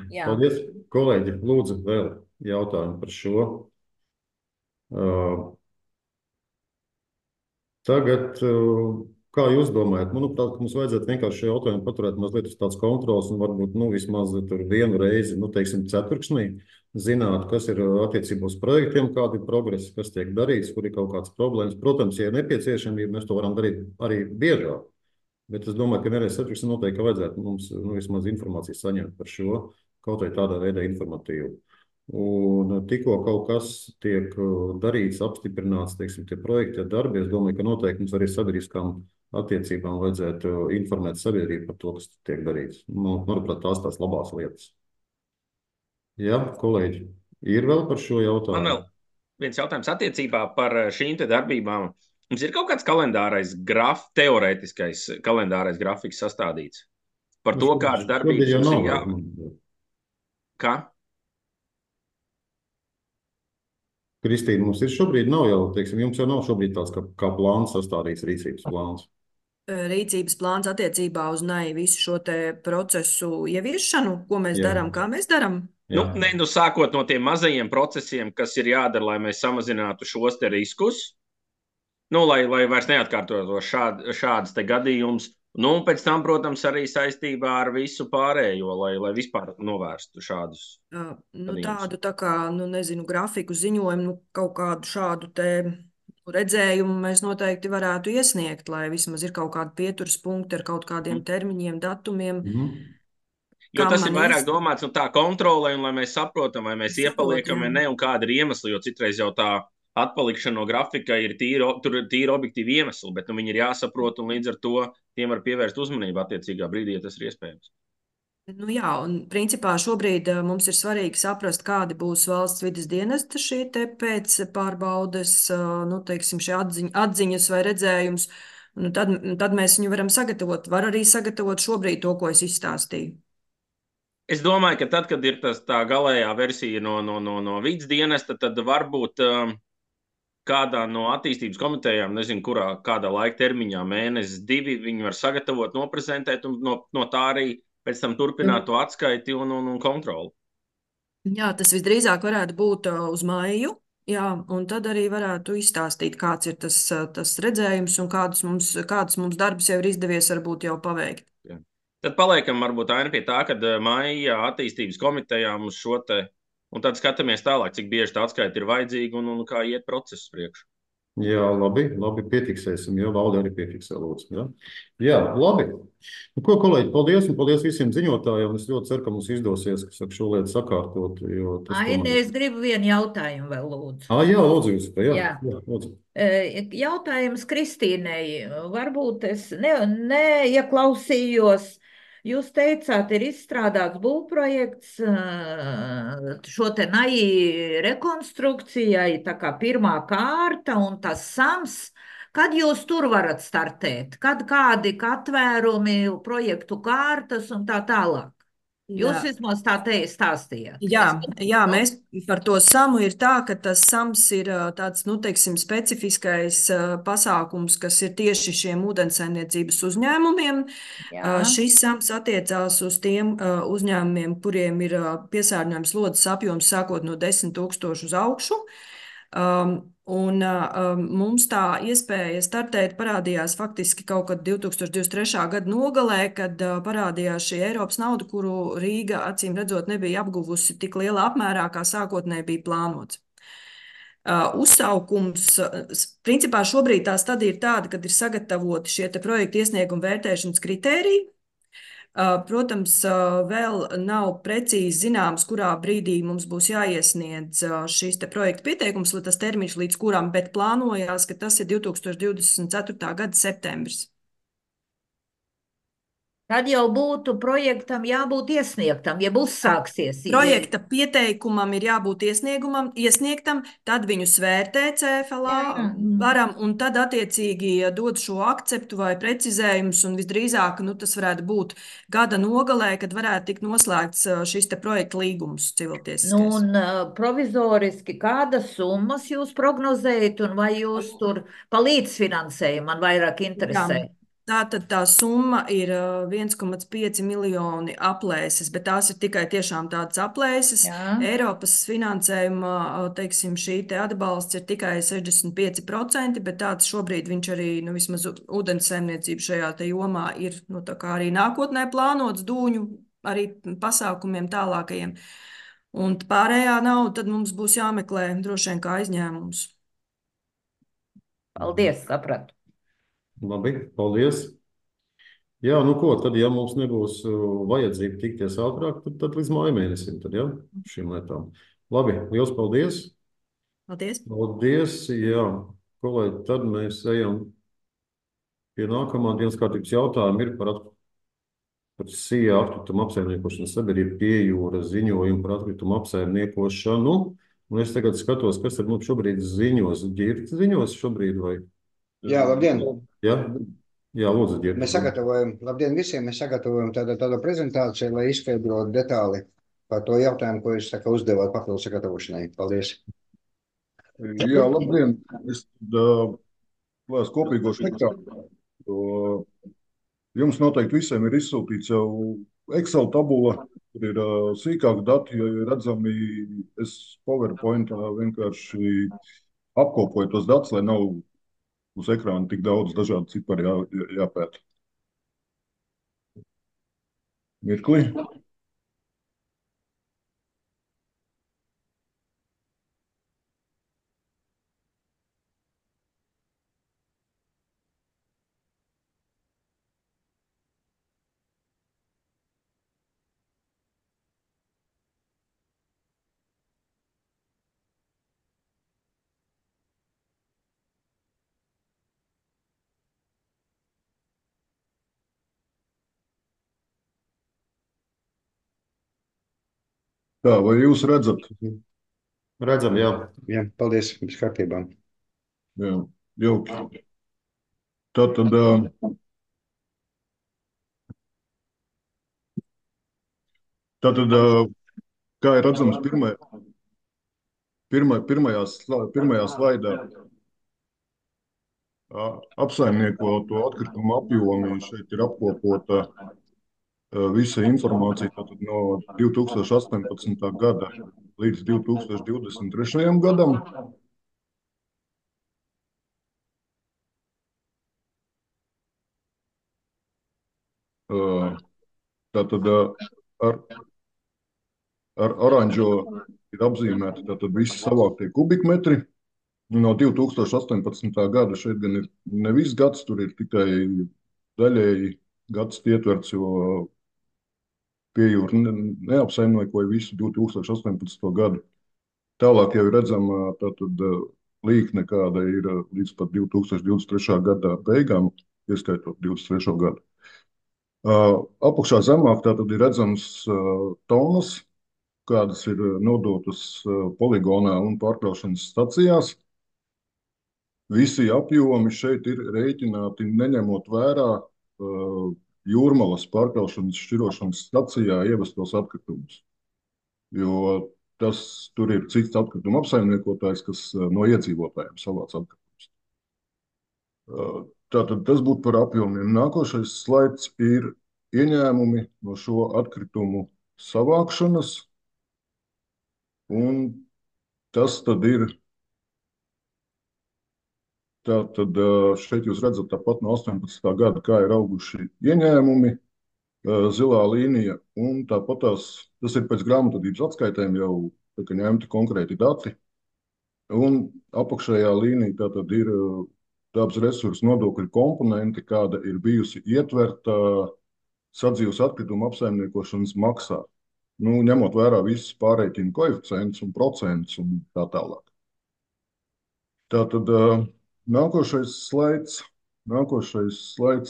Jā. Paldies, kolēģi. Lūdzu, vēl jautājumu par šo. Tagad, kā jūs domājat, manuprāt, ka mums vajadzētu vienkārši šo jautājumu paturēt mazliet uz tāds kontrols un varbūt vismaz tur vienu reizi, teiksim, ceturksnī, zināt, kas ir attiecībā uz projektiem, kādi ir progresi, kas tiek darīts, kur ir kaut kādas problēmas. Protams, ja ir nepieciešamība, mēs to varam darīt arī biežāk. Bet es domāju, ka vienreiz ceturksnī noteikti vajadzētu mums vismaz informāciju saņemt par šo, kaut vai tādā veidā informatīvu. Un tikko kaut kas tiek darīts, apstiprināts, teiksim, tie projekti, darbi, es domāju, ka noteikti mums arī sabiedriskām attiecībām vajadzētu informēt sabiedrību par to, kas tiek darīts. Manuprāt, tās labās lietas. Jā, kolēģi, ir vēl par šo jautājumu? Man vēl viens jautājums attiecībā par šīm te darbībām. Mums ir kaut kāds kalendārais teorētiskais kalendārais grafiks sastādīts par to, kādas darbības mums ir jāveic. Kā? Kristīna, mums ir šobrīd nav jau, teiksim, jums jau nav šobrīd tāds kā plāns sastādīts, rīcības plāns. rīcības plāns attiecībā uz NAI visu šo te procesu ieviešanu, ko mēs Jā. darām, kā mēs darām? Jā. Sākot no tiem mazajiem procesiem, kas ir jādara, lai mēs samazinātu šos te riskus, lai vairs neatkārtotos šādas te gadījumus. Un pēc tam, protams, arī saistībā ar visu pārējo, lai vispār novērstu šādus gadījumus. Tādu tā kā, grafiku ziņojumu, kaut kādu šādu te redzējumu mēs noteikti varētu iesniegt, lai vismaz ir kaut kādi pieturas punkti ar kaut kādiem termiņiem, datumiem. Jo tas ir vairāk domāts tā kontrolē, un lai mēs saprotam, vai mēs iepaliekam vai ne, un kāda ir iemesli, jo citreiz jau tā atpalikšana no grafika ir tīri objektīvi iemesli, bet viņi ir jāsaprot, un līdz ar to tiem var pievērst uzmanību attiecīgā brīdī, ja tas ir iespējams. Jā, un principā šobrīd mums ir svarīgi saprast, kādi būs valsts vides dienesta šī te pēc pārbaudes, teiksim, šie atziņas vai redzējums, un tad mēs viņu varam sagatavot. Var arī sagatavot šobrīd to, ko es izstāstīju. Es domāju, ka tad, kad ir tā galējā versija no vides dienesta, tad varbūt kādā no attīstības komitejām, nezinu, kādā laika termiņā, mēnesis, 2, viņi var sagatavot, noprezentēt un no tā arī pēc tam turpināt to atskaiti un kontroli. Jā, tas visdrīzāk varētu būt uz maiju, un tad arī varētu izstāstīt, kāds ir tas redzējums un kādus mums darbus jau ir izdevies varbūt jau paveikt. Jā. Tad paliekam varbūt Aina pie tā, kad maijā attīstības komitejā mums šo te, un tad skatāmies tālāk, cik bieži tā atskaita ir vajadzīga un kā iet process priekš. Jā, labi, piefiksēsim, jo Valde arī piefiksē, lūdzu. Jā, labi. Ko, kolēģi, paldies, un paldies visiem ziņotājiem. Es ļoti ceru, ka mums izdosies šo lietu sakārtot. Aina, es gribu vienu jautājumu vēl, lūdzu. Jā, lūdzu, jūs. Jā, lūdzu. Jautājums Kristīnei. Varbūt es neieklausījos. Jūs teicāt, ir izstrādāts būvprojekts šo te NAI rekonstrukcijai, tā kā pirmā kārta un tas SAMS. Kad jūs tur varat startēt? Kad kādi atvērumi, projektu kārtas un tā tālāk? Jūs vismaz tā stāstījāt. Jā, mēs par to SAMu ir tā, ka tas SAMs ir tāds, teiksim, specifiskais pasākums, kas ir tieši šiem ūdensaimniecības uzņēmumiem. Šis SAMs attiecās uz tiem uzņēmumiem, kuriem ir piesārņojums slodzes apjoms sākot no 10,000 uz augšu. Mums tā iespēja startēt parādījās faktiski kaut kad 2023. gada nogalē, kad parādījās šī Eiropas nauda, kuru Rīga acīm redzot nebija apguvusi tik lielā apmērā, kā sākotnēji bija plānots. Uzsaukums, principā šobrīd tā stadija ir tāda, kad ir sagatavoti šie te projektu iesnieguma vērtēšanas kritēriji. Protams, vēl nav precīzi zināms, kurā brīdī mums būs jāiesniedz šīs te projekta pieteikums, lai tas termiņš līdz kuram, bet plānojās, ka tas ir 2024. gada septembris. Tad jau būtu projektam jābūt iesniegtam, ja uzsāksies. Projekta pieteikumam ir jābūt iesniegtam, tad viņu svērtē CFLA varam, un tad attiecīgi dod šo akceptu vai precizējumus, un visdrīzāk tas varētu būt gada nogalē, kad varētu tikt noslēgts šis te projekta līgums civiltiesiskais. Un provizoriski kādas summas jūs prognozējat, un vai jūs tur pa līdzfinansējumu man vairāk interesē? Tātad tā summa ir 1,5 miljoni aplēses, bet tās ir tikai tiešām tādas aplēses. Eiropas finansējuma, teiksim, šī te atbalsts ir tikai 65%, bet tāds šobrīd viņš arī, vismaz ūdensaimniecība šajā te jomā ir, tā kā arī nākotnē plānots dūņu arī pasākumiem tālākajiem. Un pārējā nauda tad mums būs jāmeklē droši vien kā aizņēmums. Paldies, sapratu. Labi, paldies. Jā, tad, ja mums nebūs vajadzība tikties ātrāk, tad līdz māja mēnesim, šīm lietām. Labi, liels paldies. Paldies. Paldies, jā. Kolēģi, tad mēs ejam pie nākamā dienas kārtības jautājuma ir par SIA atkritumu apsaimniekošanas sabiedrību Piejūra ziņojumu par atkritumu apsaimniekošanu. Un es tagad skatos, kas ar mums šobrīd ziņos. Ģirds ziņos šobrīd vai? Jā, labdien! Jā, lūdzu, Ģirds. Labdien visiem! Mēs sagatavojam tādu prezentāciju, lai izskaidrotu detāli par to jautājumu, ko jūs uzdevāt papildu sagatavošanai. Paldies! Jā, labdien! Es kopīgo sektāru Jums noteikti visiem ir izsūtīts jau Excel tabula, kur ir sīkāki dati, ja ir redzami. Es PowerPointā vienkārši apkopoju tos datus, lai nav uz ekrāna tik daudz dažādu ciparu jāpēta. Mirkli. Tā, vai jūs redzat? Redzam, jā. Jā, paldies, viss kārtībā. Jā, jauki. Tātad, kā ir redzams pirmajā slaidā, apsaimniekoto atkritumu apjomi šeit ir apkopota visa informācija tātad no 2018. gada līdz 2023. gadam. Tātad ar oranžo ir apzīmēti tātad visi savāktie kubikmetri. No 2018. gada šeit gan ir ne viss gads, tur ir tikai daļēji gads ietverts, jo pie jūra neapsaimniekoja visu 2018. gadu. Tālāk jau ir redzama tātad līkne, kāda ir līdz pat 2023. gada beigām, ieskaitot 23. gadu. Apakšā zemāk tātad ir redzams tonnas, kādas ir nodotas poligonā un pārkraušanas stacijās. Visi apjomi šeit ir rēķināti neņemot vērā Jūrmalas pārkraušanas šķirošanas stacijā ievestos atkritumus. Jo tur ir cits atkrituma apsaimniekotājs, kas no iedzīvotājiem savāc atkritumus. Tātad tas būtu par apjomiem. Nākošais slaids ir ieņēmumi no šo atkritumu savākšanas. Un tas tad ir. Tātad šeit jūs redzat tāpat no 18. gada, kā ir auguši ieņēmumi, zilā līnija, un tāpat tas ir pēc grāmatvedības atskaitēm jau ņemti konkrēti dati. Un apakšējā līnija tātad ir dabas resursu nodokļu komponenti, kāda ir bijusi ietverta sadzīves atkrituma apsaimniekošanas maksā. Ņemot vērā visus pārreikinu koeficientus un procentus un tā tālāk. Tātad nākošais slaids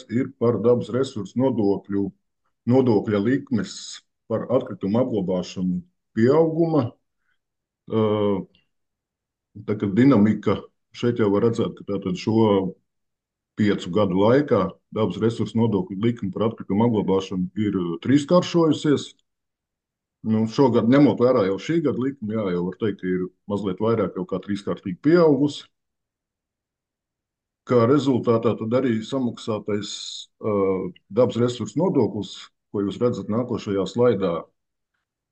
ir par dabas resursu nodokļa likmes par atkritumu apglabāšanu pieauguma. Tā kā dinamika šeit jau var redzēt, ka tātad šo 5 gadu laikā dabas resursu nodokļa likme par atkritumu apglabāšanu ir trīskāršojusies. Šogad, ņemot vērā jau šī gada likmi, jau var teikt, ka ir mazliet vairāk jau kā trīskārtīgi pieaugusi. Kā rezultātā tad arī samaksātais dabas resursu nodoklis, ko jūs redzat nākošajā slaidā,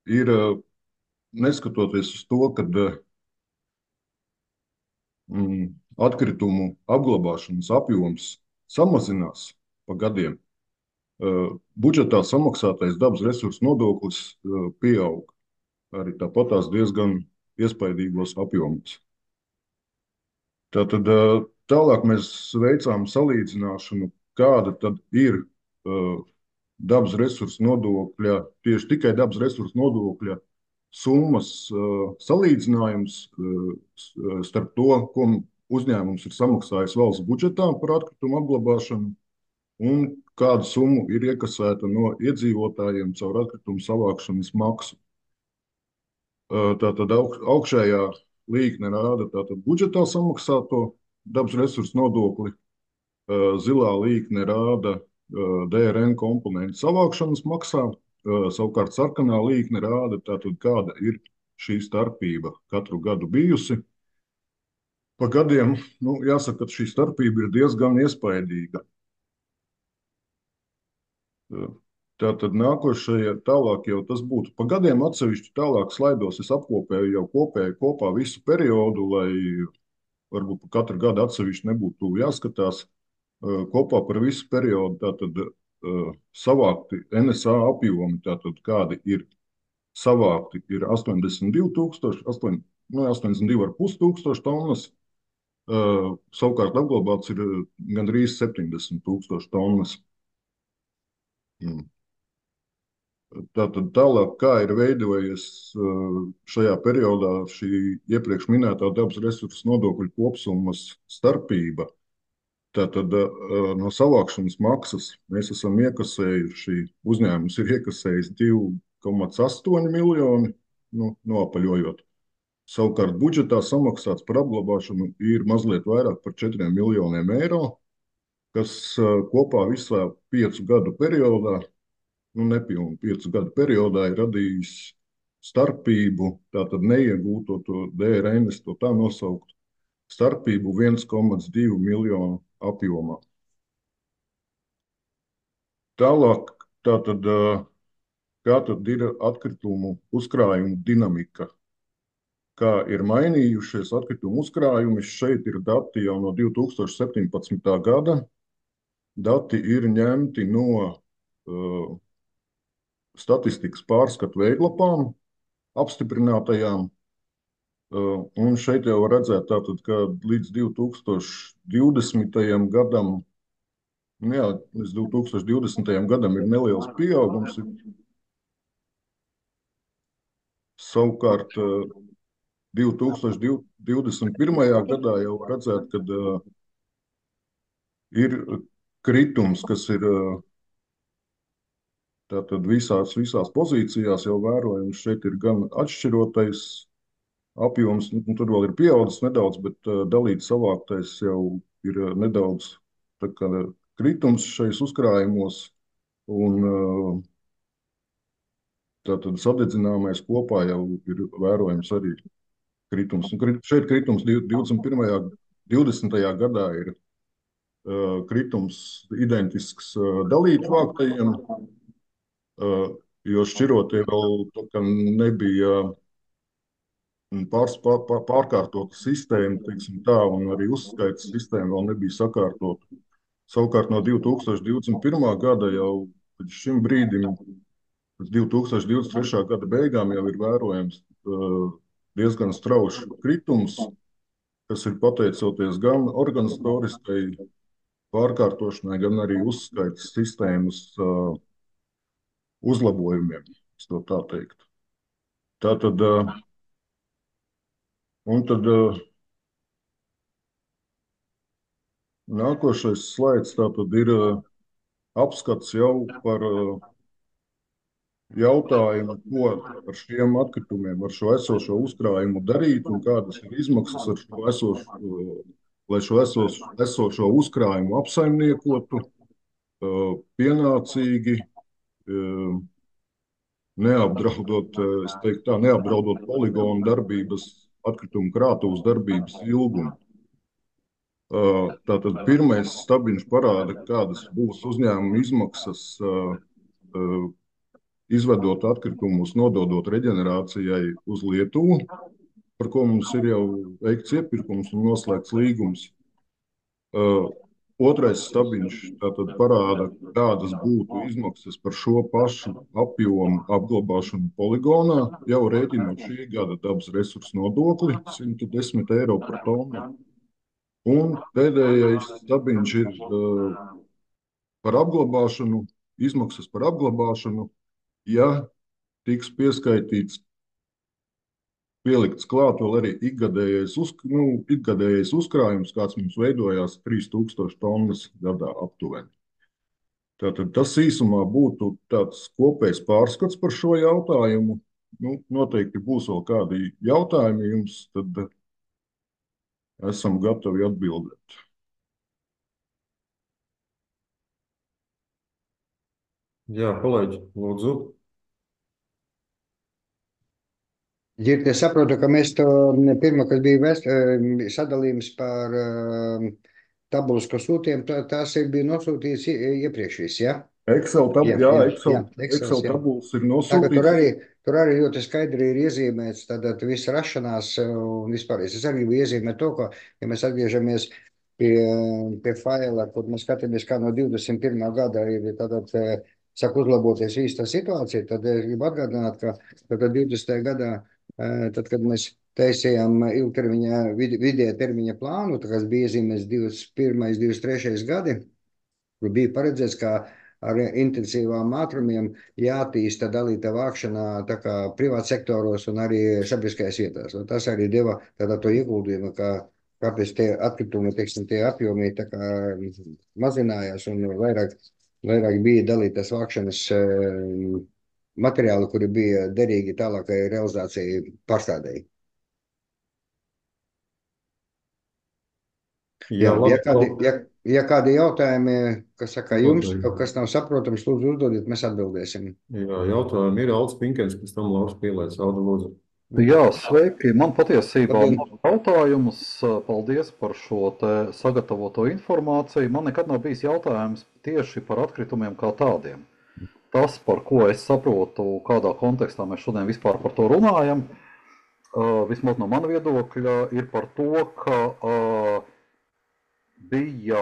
ir neskatoties uz to, ka atkritumu apglabāšanas apjoms samazinās pa gadiem, budžetā samaksātais dabas resursu nodoklis pieaug arī tāpatās diezgan iespaidīgos apjomos. Tātad tālāk mēs veicām salīdzināšanu, kāda tad ir dabas resursu nodokļa, tieši tikai dabas resursu nodokļa summas salīdzinājums starp to, ko uzņēmums ir samaksājis valsts budžetā par atkritumu apglabāšanu un kādu summu ir iekasēta no iedzīvotājiem caur atkritumu savākšanas maksu. Tātad augšējā līkne rāda tātad budžetā samaksāto dabas resursu nodokli, zilā līkne rāda DRN komponentu savākšanas maksā, savukārt sarkanā līkne rāda tātad, kāda ir šī starpība katru gadu bijusi. Pa gadiem, jāsaka, ka šī starpība ir diezgan iespaidīga. Tātad nākošajā tālāk jau tas būtu pa gadiem atsevišķi tālāk slaidos. Es apkopēju jau kopā visu periodu, lai varbūt pa katru gadu atsevišķi nebūtu jāskatās. Kopā par visu periodu tātad savākti NSA apjomi, tātad kādi ir savākti, ir 82,000, 82,5 tūkstoši tonnas. Savukārt apglabāts ir gandrīz 70,000 tonnas. Tātad tālāk, kā ir veidojies šajā periodā šī iepriekš minētā dabas resursu nodokļu kopsummas starpība. Tātad no savākšanas maksas mēs esam iekasējuši, uzņēmums ir iekasējis 2,8 miljoni, noapaļojot. Savukārt budžetā samaksāts par apglabāšanu ir mazliet vairāk par 4 miljoniem eiro, kas kopā visā 5 gadu periodā, nepilnu 5 gadu periodā ir radījis starpību, tātad neiegūto to DRN, to tā nosaukt, starpību 1,2 miljonu apjomā. Tālāk, tātad, kā tad ir atkritumu uzkrājumu dinamika? Kā ir mainījušies atkritumu uzkrājumi? Šeit ir dati jau no 2017. gada. Dati ir ņemti no statistikas pārskatu veidlapām, apstiprinātajām. Un šeit jau var redzēt, tātad, ka līdz 2020. gadam, līdz 2020. gadam ir neliels pieaugums. Savukārt 2021. gadā jau var redzēt, ka ir kritums, kas ir tātad visās pozīcijās jau vērojams. Šeit ir gan atšķirotais apjoms, tur vēl ir pieaudzis nedaudz, bet dalīts savāktais jau ir nedaudz kritums šais uzkrājumos, un tātad sadedzināmais kopā jau ir vērojams arī kritums. Šeit kritums 20. gadā ir kritums identisks dalīt vāktajiem, jo šķirotie vēl nebija pārkārtota sistēma, teiksim tā, un arī uzskaitas sistēma vēl nebija sakārtota. Savukārt no 2021. gada jau līdz šim brīdim, līdz 2023. gada beigām jau ir vērojams diezgan straušs kritums, kas ir pateicoties gan organizatoriskai pārkārtošanai, gan arī uzskaitas sistēmas uzlabojumiem, es to tā teikt. Tātad, un tad nākošais slaids tātad ir apskats jau par jautājumu, ko ar šiem atkritumiem, ar šo esošo uzkrājumu darīt un kādas ir izmaksas ar šo esošo, lai šo esošo uzkrājumu apsaimniekotu pienācīgi, neapdraudot, es teiktu tā, neapdraudot poligonu darbības, atkritumu krātuves darbības ilgumu. Tātad pirmais stabiņš parāda, kādas būs uzņēmuma izmaksas izvedot atkritumus, nododot reģenerācijai uz Lietuvu, par ko mums ir jau veikts iepirkums un noslēgts līgums. Otrais stabiņš tātad parāda, kādas būtu izmaksas par šo pašu apjomu apglabāšanu poligonā, jau rēķinot šī gada dabas resursu nodokli 110 eiro par tonu. Un pēdējais stabiņš ir par apglabāšanu, izmaksas par apglabāšanu, ja tiks pieskaitīts, pielikts klāt vēl arī ikgadējais uzkrājums, kāds mums veidojās 3000 tonnas gadā aptuveni. Tātad tas īsumā būtu tāds kopējs pārskats par šo jautājumu. Noteikti būs vēl kādi jautājumi jums, tad esam gatavi atbildēt. Jā, kolēģi, lūdzu. Girdi, es saprotu, ka mēs to pirmā, kad bija sadalījums par tabulas, ko sūtījām, tās bija nosūtītas iepriekš viss, ja? Excel, Excels, Excel tabulas ir Tā ka nosūtītas. tur arī ļoti skaidri ir iezīmēts tātad viss rašanās un vispār. Es arī gribu iezīmēt to, ka, ja mēs atgriežamies pie faila, kur mēs skatāmies, kā no 21. gada ir tātad, saka uzlaboties īsta situācija, tad es gribu atgādināt, ka tātad 20. gadā, tad, kad mēs taisījām ilgtermiņa, vidēja termiņa plānu, tā kas bija iezīmēts 21. 23. gadi, kur bija paredzēts, ka ar intensīvām ātrumiem jātīsta dalīta vākšana tā kā privāta sektoros un arī sabiedriskajās vietās. Un tas arī deva tādā to ieguldījumu, ka kāpēc tie atkritumi, teiksim, tie apjomi tā kā mazinājās un vairāk bija dalītas vākšanas materiāli, kuri bija derīgi tālākai realizācijai pārstādēji. Jā, labi. Ja kādi jautājumi, kas saka jums, kaut kas nav saprotams, lūdzu uzdodiet, mēs atbildēsim. Jā, jautājumi ir Aldis Pinkens, pēc tam Lauris Pielēts. Aldi, lūdzu. Jā, sveiki. Man patiesībā nav jautājums. Paldies par šo te sagatavoto informāciju. Man nekad nav bijis jautājums tieši par atkritumiem kā tādiem. Tas, par ko es saprotu, kādā kontekstā mēs šodien vispār par to runājam, vismaz no mana viedokļa, ir par to, ka bija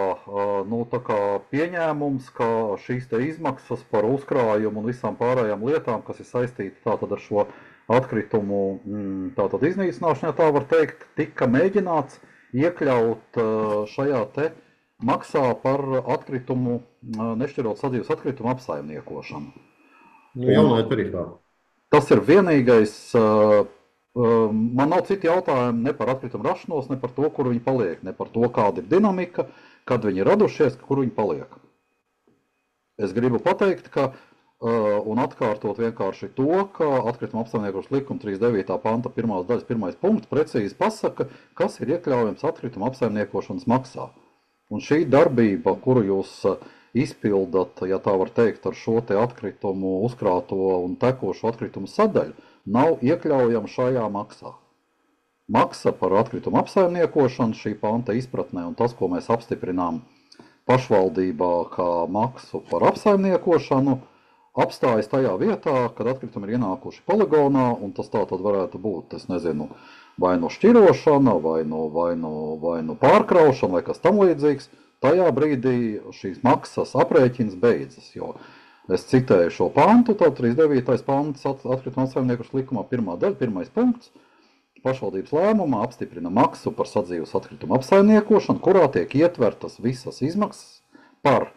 tā kā pieņēmums, ka šīs te izmaksas par uzkrājumu un visām pārējām lietām, kas ir saistīti tātad ar šo atkritumu tātad iznīcināšanu, ja tā var teikt, tika mēģināts iekļaut šajā te maksā par atkritumu, nešķirot sadzīves atkritumu apsaimniekošanu. Jaunajā tarifā. Tas ir vienīgais. Man nav citi jautājumi ne par atkritumu rašanos, ne par to, kur viņi paliek, ne par to, kāda ir dinamika, kad viņi ir radušies, kur viņi paliek. Es gribu pateikt, ka un atkārtot vienkārši to, ka atkrituma apsaimniekošanas likuma 39. panta 1. daļas 1. punkts precīzi pasaka, kas ir iekļaujams atkrituma apsaimniekošanas maksā. Un šī darbība, kuru jūs izpildat, ja tā var teikt, ar šo te atkritumu uzkrāto un tekošo atkritumu sadaļu, nav iekļaujama šajā maksā. Maksa par atkritumu apsaimniekošanu šī panta izpratnē un tas, ko mēs apstiprinām pašvaldībā kā maksu par apsaimniekošanu, apstājas tajā vietā, kad atkritumi ir ienākuši poligonā, un tas tā tad varētu būt, es nezinu, vai no šķirošana, vai no pārkraušana, vai kas tam līdzīgs. Tajā brīdī šīs maksas aprēķins beidzas, jo es citēju šo pantu, tad 39. pants atkrituma apsaimniekošanas likumā 1. daļa, 1. punkts. Pašvaldības lēmumā apstiprina maksu par sadzīves atkritumu apsaimniekošanu, kurā tiek ietvertas visas izmaksas par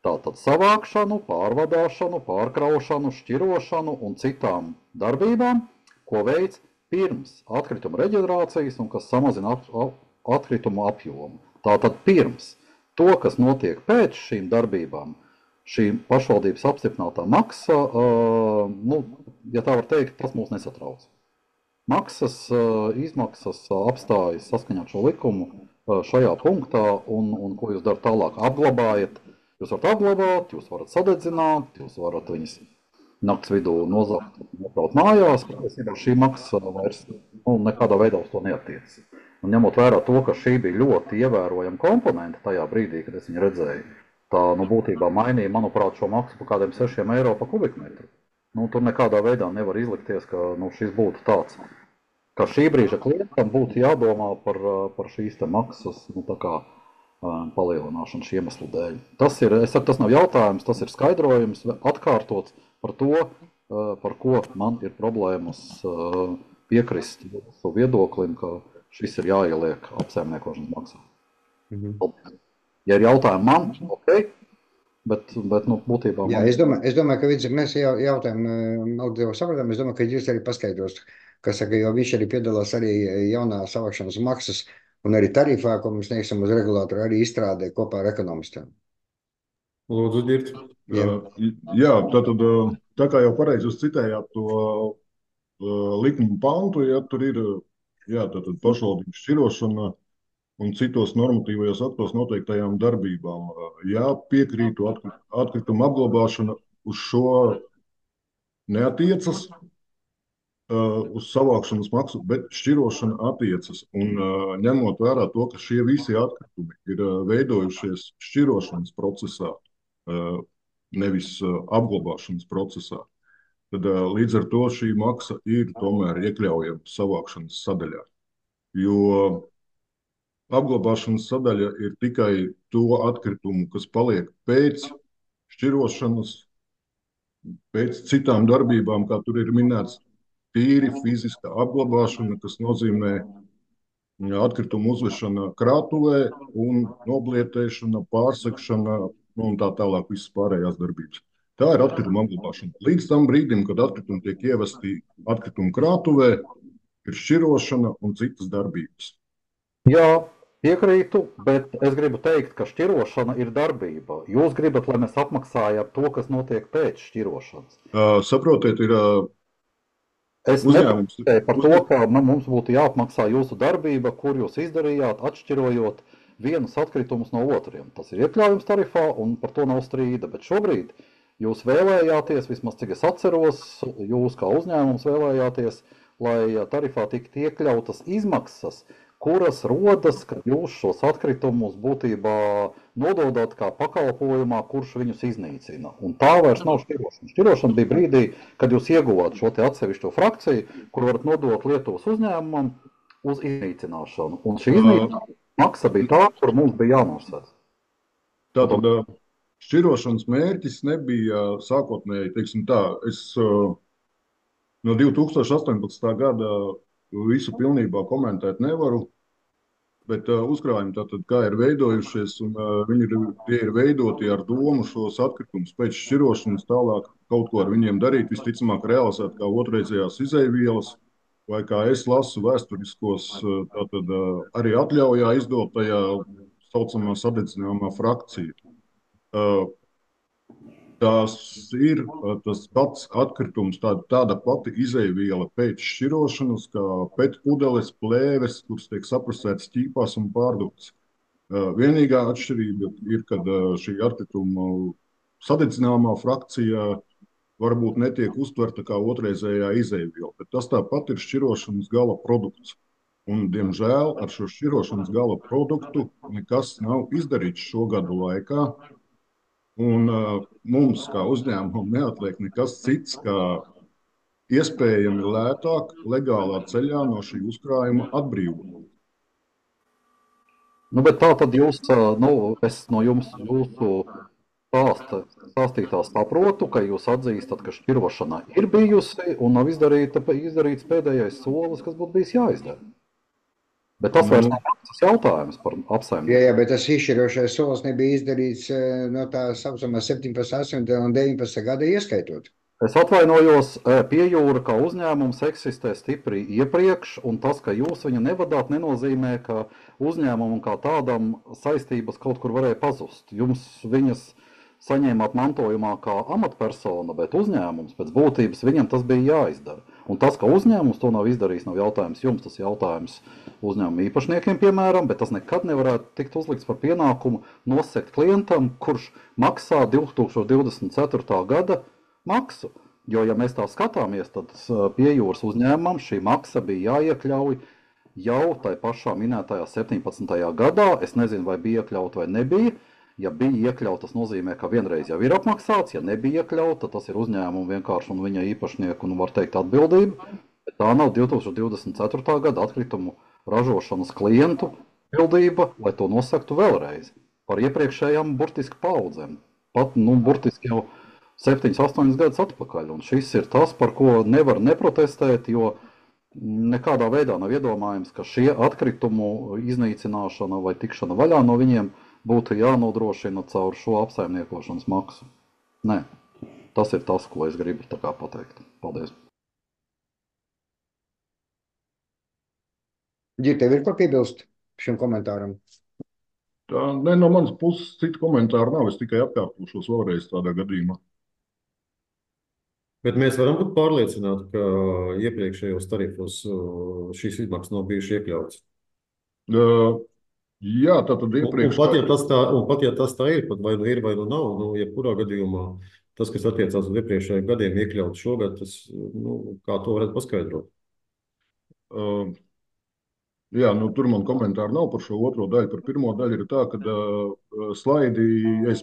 tātad savākšanu, pārvadāšanu, pārkraušanu, šķirošanu un citām darbībām, ko veic pirms atkrituma reģenerācijas un kas samazina atkritumu apjomu. Tātad pirms to, kas notiek pēc šīm darbībām, šī pašvaldības apstiprinātā maksa, ja tā var teikt, tas mūs nesatrauc. Maksas, izmaksas apstājas saskaņā ar šo likumu šajā punktā, un ko jūs darat tālāk? Apglabājat, jūs varat apglabāt, jūs varat sadedzināt, jūs varat viņas nakts vidū nozagt, nopraut mājās, patiesībā šī maksa vairs nekādā veidā uz to neattiecas. Un ņemot vērā to, ka šī bija ļoti ievērojama komponente tajā brīdī, kad es viņu redzēju, tā būtībā mainīja, manuprāt, šo maksu par kādiem 6 eiro pa kubikmetru. Tur nekādā veidā nevar izlikties, ka šis būtu tāds, ka šī brīža klientam būtu jādomā par šīs te maksas palielināšanu šī iemeslu dēļ. Tas ir, es saku, tas nav jautājums, tas ir skaidrojums, atkārtots par to, par ko man ir problēmas piekrist savu viedoklim, ka šis ir jāieliek apsaimniekošanas maksā. Ja ir jautājumi man, ok, bet būtībā... Jā, es domāju, ka mēs jautājumu sapratām, es domāju, ka jūs arī paskaidros, kas saka, jo viņš arī piedalās arī jaunā savākšanas maksas un arī tarifā, ko mēs sniegsim uz regulātoru, arī izstrādē kopā ar ekonomistiem. Lūdzu, Dirt. Jā, tātad, tā kā jau pareizi jūs citējāt to likumu pantu, ja tur ir tātad pašvaldības šķirošana un citos normatīvajos aktos noteiktajām darbībām. Jā, piekrītu, atkrituma apglabāšana uz šo neatiecas, uz savākšanas maksu, bet šķirošana attiecas. Un ņemot vērā to, ka šie visi atkritumi ir veidojušies šķirošanas procesā, nevis apglabāšanas procesā. Tad līdz ar to šī maksa ir tomēr iekļaujama savākšanas sadaļā. Jo apglabāšanas sadaļa ir tikai to atkritumu, kas paliek pēc šķirošanas, pēc citām darbībām, kā tur ir minēts, tīri fiziska apglabāšana, kas nozīmē atkritumu uzvešana krātuvē un noblietēšana, pārsekšana un tā tālāk visas pārējās darbības. Tā ir atkrituma apglabāšana. Līdz tam brīdim, kad atkritumi tiek ievesti atkritumu krātuvē, ir šķirošana un citas darbības. Jā, piekrītu, bet es gribu teikt, ka šķirošana ir darbība. Jūs gribat, lai mēs apmaksājam to, kas notiek pēc šķirošanas. Saprotiet, ir Es uzņēmums. nepateiktu par to, ka mums būtu jāapmaksā jūsu darbība, kur jūs izdarījāt, atšķirojot vienus atkritumus no otriem. Tas ir iekļaujams tarifā un par to nav strīda, bet šobrīd jūs vēlējāties, vismaz cik es atceros, jūs kā uzņēmums vēlējāties, lai tarifā tiktu iekļautas izmaksas, kuras rodas, kad jūs šos atkritumus būtībā nododat kā pakalpojumā, kurš viņus iznīcina. Un tā vairs nav šķirošana. Šķirošana bija brīdī, kad jūs ieguvāt šo te atsevišķo frakciju, kur varat nodot Lietuvas uzņēmumam uz iznīcināšanu. Un šī iznīcināšana maksa bija tā, kur mums bija jānosēs. Tātad šķirošanas mērķis nebija sākotnēji, teiksim tā, es no 2018. gada visu pilnībā komentēt nevaru, bet uzkrājumi tātad kā ir veidojušies, un tie ir veidoti ar domu šos atkritumus pēc šķirošanas tālāk kaut ko ar viņiem darīt, visticamāk realizēt kā otrreizējās izeivielas, vai kā es lasu vēsturiskos, tātad arī atļaujā izdotajā saucamā sadedzināmā frakcija. Tas ir tas pats atkritums, tāda pati izejviela pēc šķirošanas, kā petpudeles, plēves, kuras tiek saprasētas ķīpās un pārdotas. Vienīgā atšķirība ir, kad šī atkrituma sadedzināmā frakcija varbūt netiek uztverta kā otrreizējā izejviela, bet tas tāpat ir šķirošanas gala produkts. Un, diemžēl, ar šo šķirošanas gala produktu nekas nav izdarīts šo gadu laikā. Un mums, kā uzņēmumam, neatliek nekas cits, kā iespējami lētāk, legālā ceļā no šī uzkrājuma atbrīvot. Bet tā tad jūs, es no jums jūsu stāstītā saprotu, ka jūs atzīstat, ka šķirošana ir bijusi un nav izdarīts pēdējais solis, kas būtu bijis jāizdara. Bet tas vairs nav tas jautājums par apsaimnieku. Jā, bet tas izšķirošais solis nebija izdarīts no tā saucamā 17, 18 un 19 gada ieskaitot. Es atvainojos, Piejūra kā uzņēmums eksistē stipri iepriekš, un tas, ka jūs viņu nevadāt, nenozīmē, ka uzņēmumam kā tādam saistības kaut kur varēja pazust. Jums viņas saņēmāt mantojumā kā amatpersona, bet uzņēmums pēc būtības viņam tas bija jāizdara. Un tas, ka uzņēmums to nav izdarījis, nav jautājums jums, tas jautājums uzņēmuma īpašniekiem, piemēram, bet tas nekad nevarētu tikt uzlikts par pienākumu nosegt klientam, kurš maksā 2024. gada maksu. Jo, ja mēs tā skatāmies, tad Piejūras uzņēmumam šī maksa bija jāiekļauj jau tai pašā minētajā 17. gadā. Es nezinu, vai bija iekļauta vai nebija. Ja bija iekļauts, tas nozīmē, ka vienreiz jau ir apmaksāts. Ja nebija iekļauts, tad tas ir uzņēmuma vienkārši un viņa īpašnieku, var teikt, atbildība. Bet tā nav 2024. gada atkritumu ražošanas klientu atbildība, lai to nosaktu vēlreiz par iepriekšējām burtiski paudzēm. Pat, burtiski jau 7-8 gadus atpakaļ. Un šis ir tas, par ko nevar neprotestēt, jo nekādā veidā nav iedomājams, ka šie atkritumu iznīcināšana vai tikšana vaļā no viņiem būtu jānodrošina caur šo apsaimniekošanas maksu. Nē, tas ir tas, ko es gribu tā kā pateikt. Paldies. Ģir, tev ir ko piebilst šim komentāram? No manas puses citu komentāru nav, es tikai atkārtošos vēlreiz tādā gadījumā. Bet mēs varam būt pārliecināti, ka iepriekšējos tarifos šīs izmaksas nav bijušas iekļautas. Jā, tātad iepriekš. Un pat ja tas tā ir, pat vai nu ir, vai nu nav, jebkurā gadījumā tas, kas attiecās uz iepriekšējiem gadiem iekļauts šogad, tas, kā to varētu paskaidrot? Jā, tur man komentāri nav par šo otro daļu. Par pirmo daļu ir tā, ka slaidi, ja es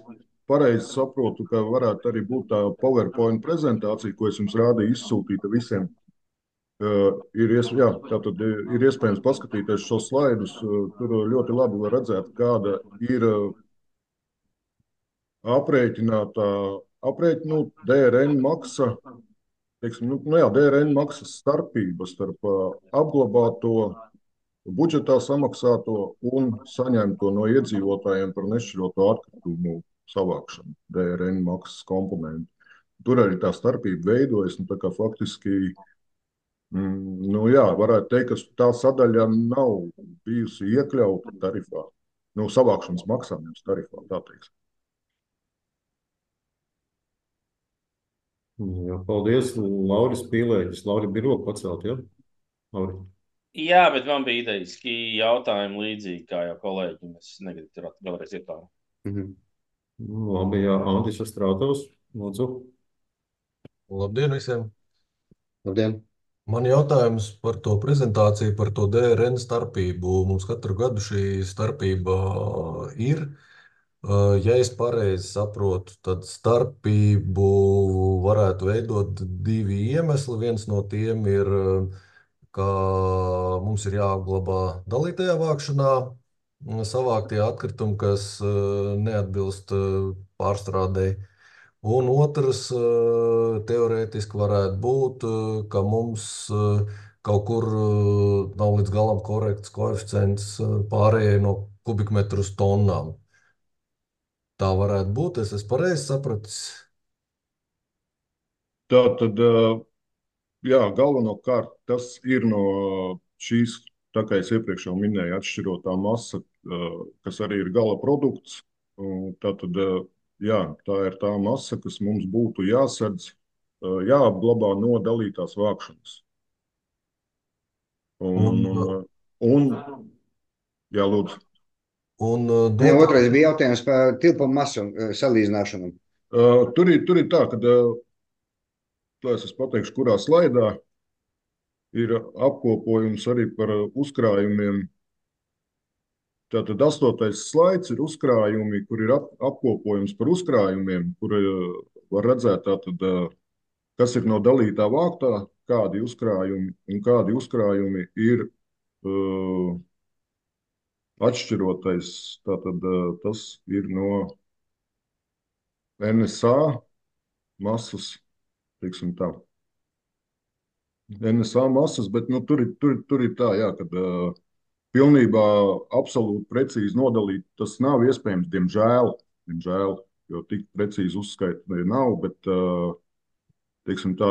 pareizi saprotu, ka varētu arī būt tā PowerPoint prezentācija, ko es jums rādīju, izsūtīta visiem. Jā, tātad ir iespējams paskatīties šos slaidus. Tur ļoti labi var redzēt, kāda ir aprēķinātā DRN maksa, teiksim, DRN maksas starpība starp apglabāto, budžetā samaksāto un saņemto no iedzīvotājiem par nešķiroto atkritumu savākšanu, DRN maksas komponentu. Tur arī tā starpība veidojas, tā kā faktiski varētu teikt, ka tā sadaļa nav bijusi iekļauta tarifā, savākšanas maksājums tarifā, tā teiksim. Jā, paldies, Lauris Pīlēģis. Lauri bija roku pacelt, ja? Lauri. Jā, bet man bija idejiski jautājumi līdzīgi, kā jau kolēģi. Es negribu tur vēlreiz ietārāt. Labi, jā, Andis Astrātovs, lūdzu. Labdien visiem! Labdien! Man jautājums par to prezentāciju, par to DRN starpību. Mums katru gadu šī starpība ir. Ja es pareizi saprotu, tad starpību varētu veidot divi iemesli. Viens no tiem ir, ka mums ir jāapglabā dalītajā vākšanā savāktie atkritumi, kas neatbilst pārstrādei. Un otrs teorētiski varētu būt, ka mums kaut kur nav līdz galam korekts koeficients pārējai no kubikmetru uz tonnām. Tā varētu būt, es esmu pareizi sapratis. Tā tad, jā, galvenokārt tas ir no šīs, tā kā es iepriekš jau minēju, atšķirotā masa, kas arī ir gala produkts. Tā tad, jā, tā ir tā masa, kas mums būtu jāsadz, jāapglabā no dalītās vākšanas. Jā, lūdzu. Otrais bija jautājums par tilpumu masu salīdzināšanu. Tur ir tā, ka, es pateikšu, kurā slaidā ir apkopojums arī par uzkrājumiem. Tātad 8. slaids ir uzkrājumi, kur ir apkopojums par uzkrājumiem, kur var redzēt, tātad, kas ir no dalītā vāktā, kādi uzkrājumi un kādi uzkrājumi ir atšķirotais. Tātad tas ir no NSA masas, teiksim tā. NSA masas, bet tur ir tā, jā, kad pilnībā absolūti precīzi nodalīt, tas nav iespējams, diemžēl, jo tik precīzi uzskaita nav, bet, teiksim tā,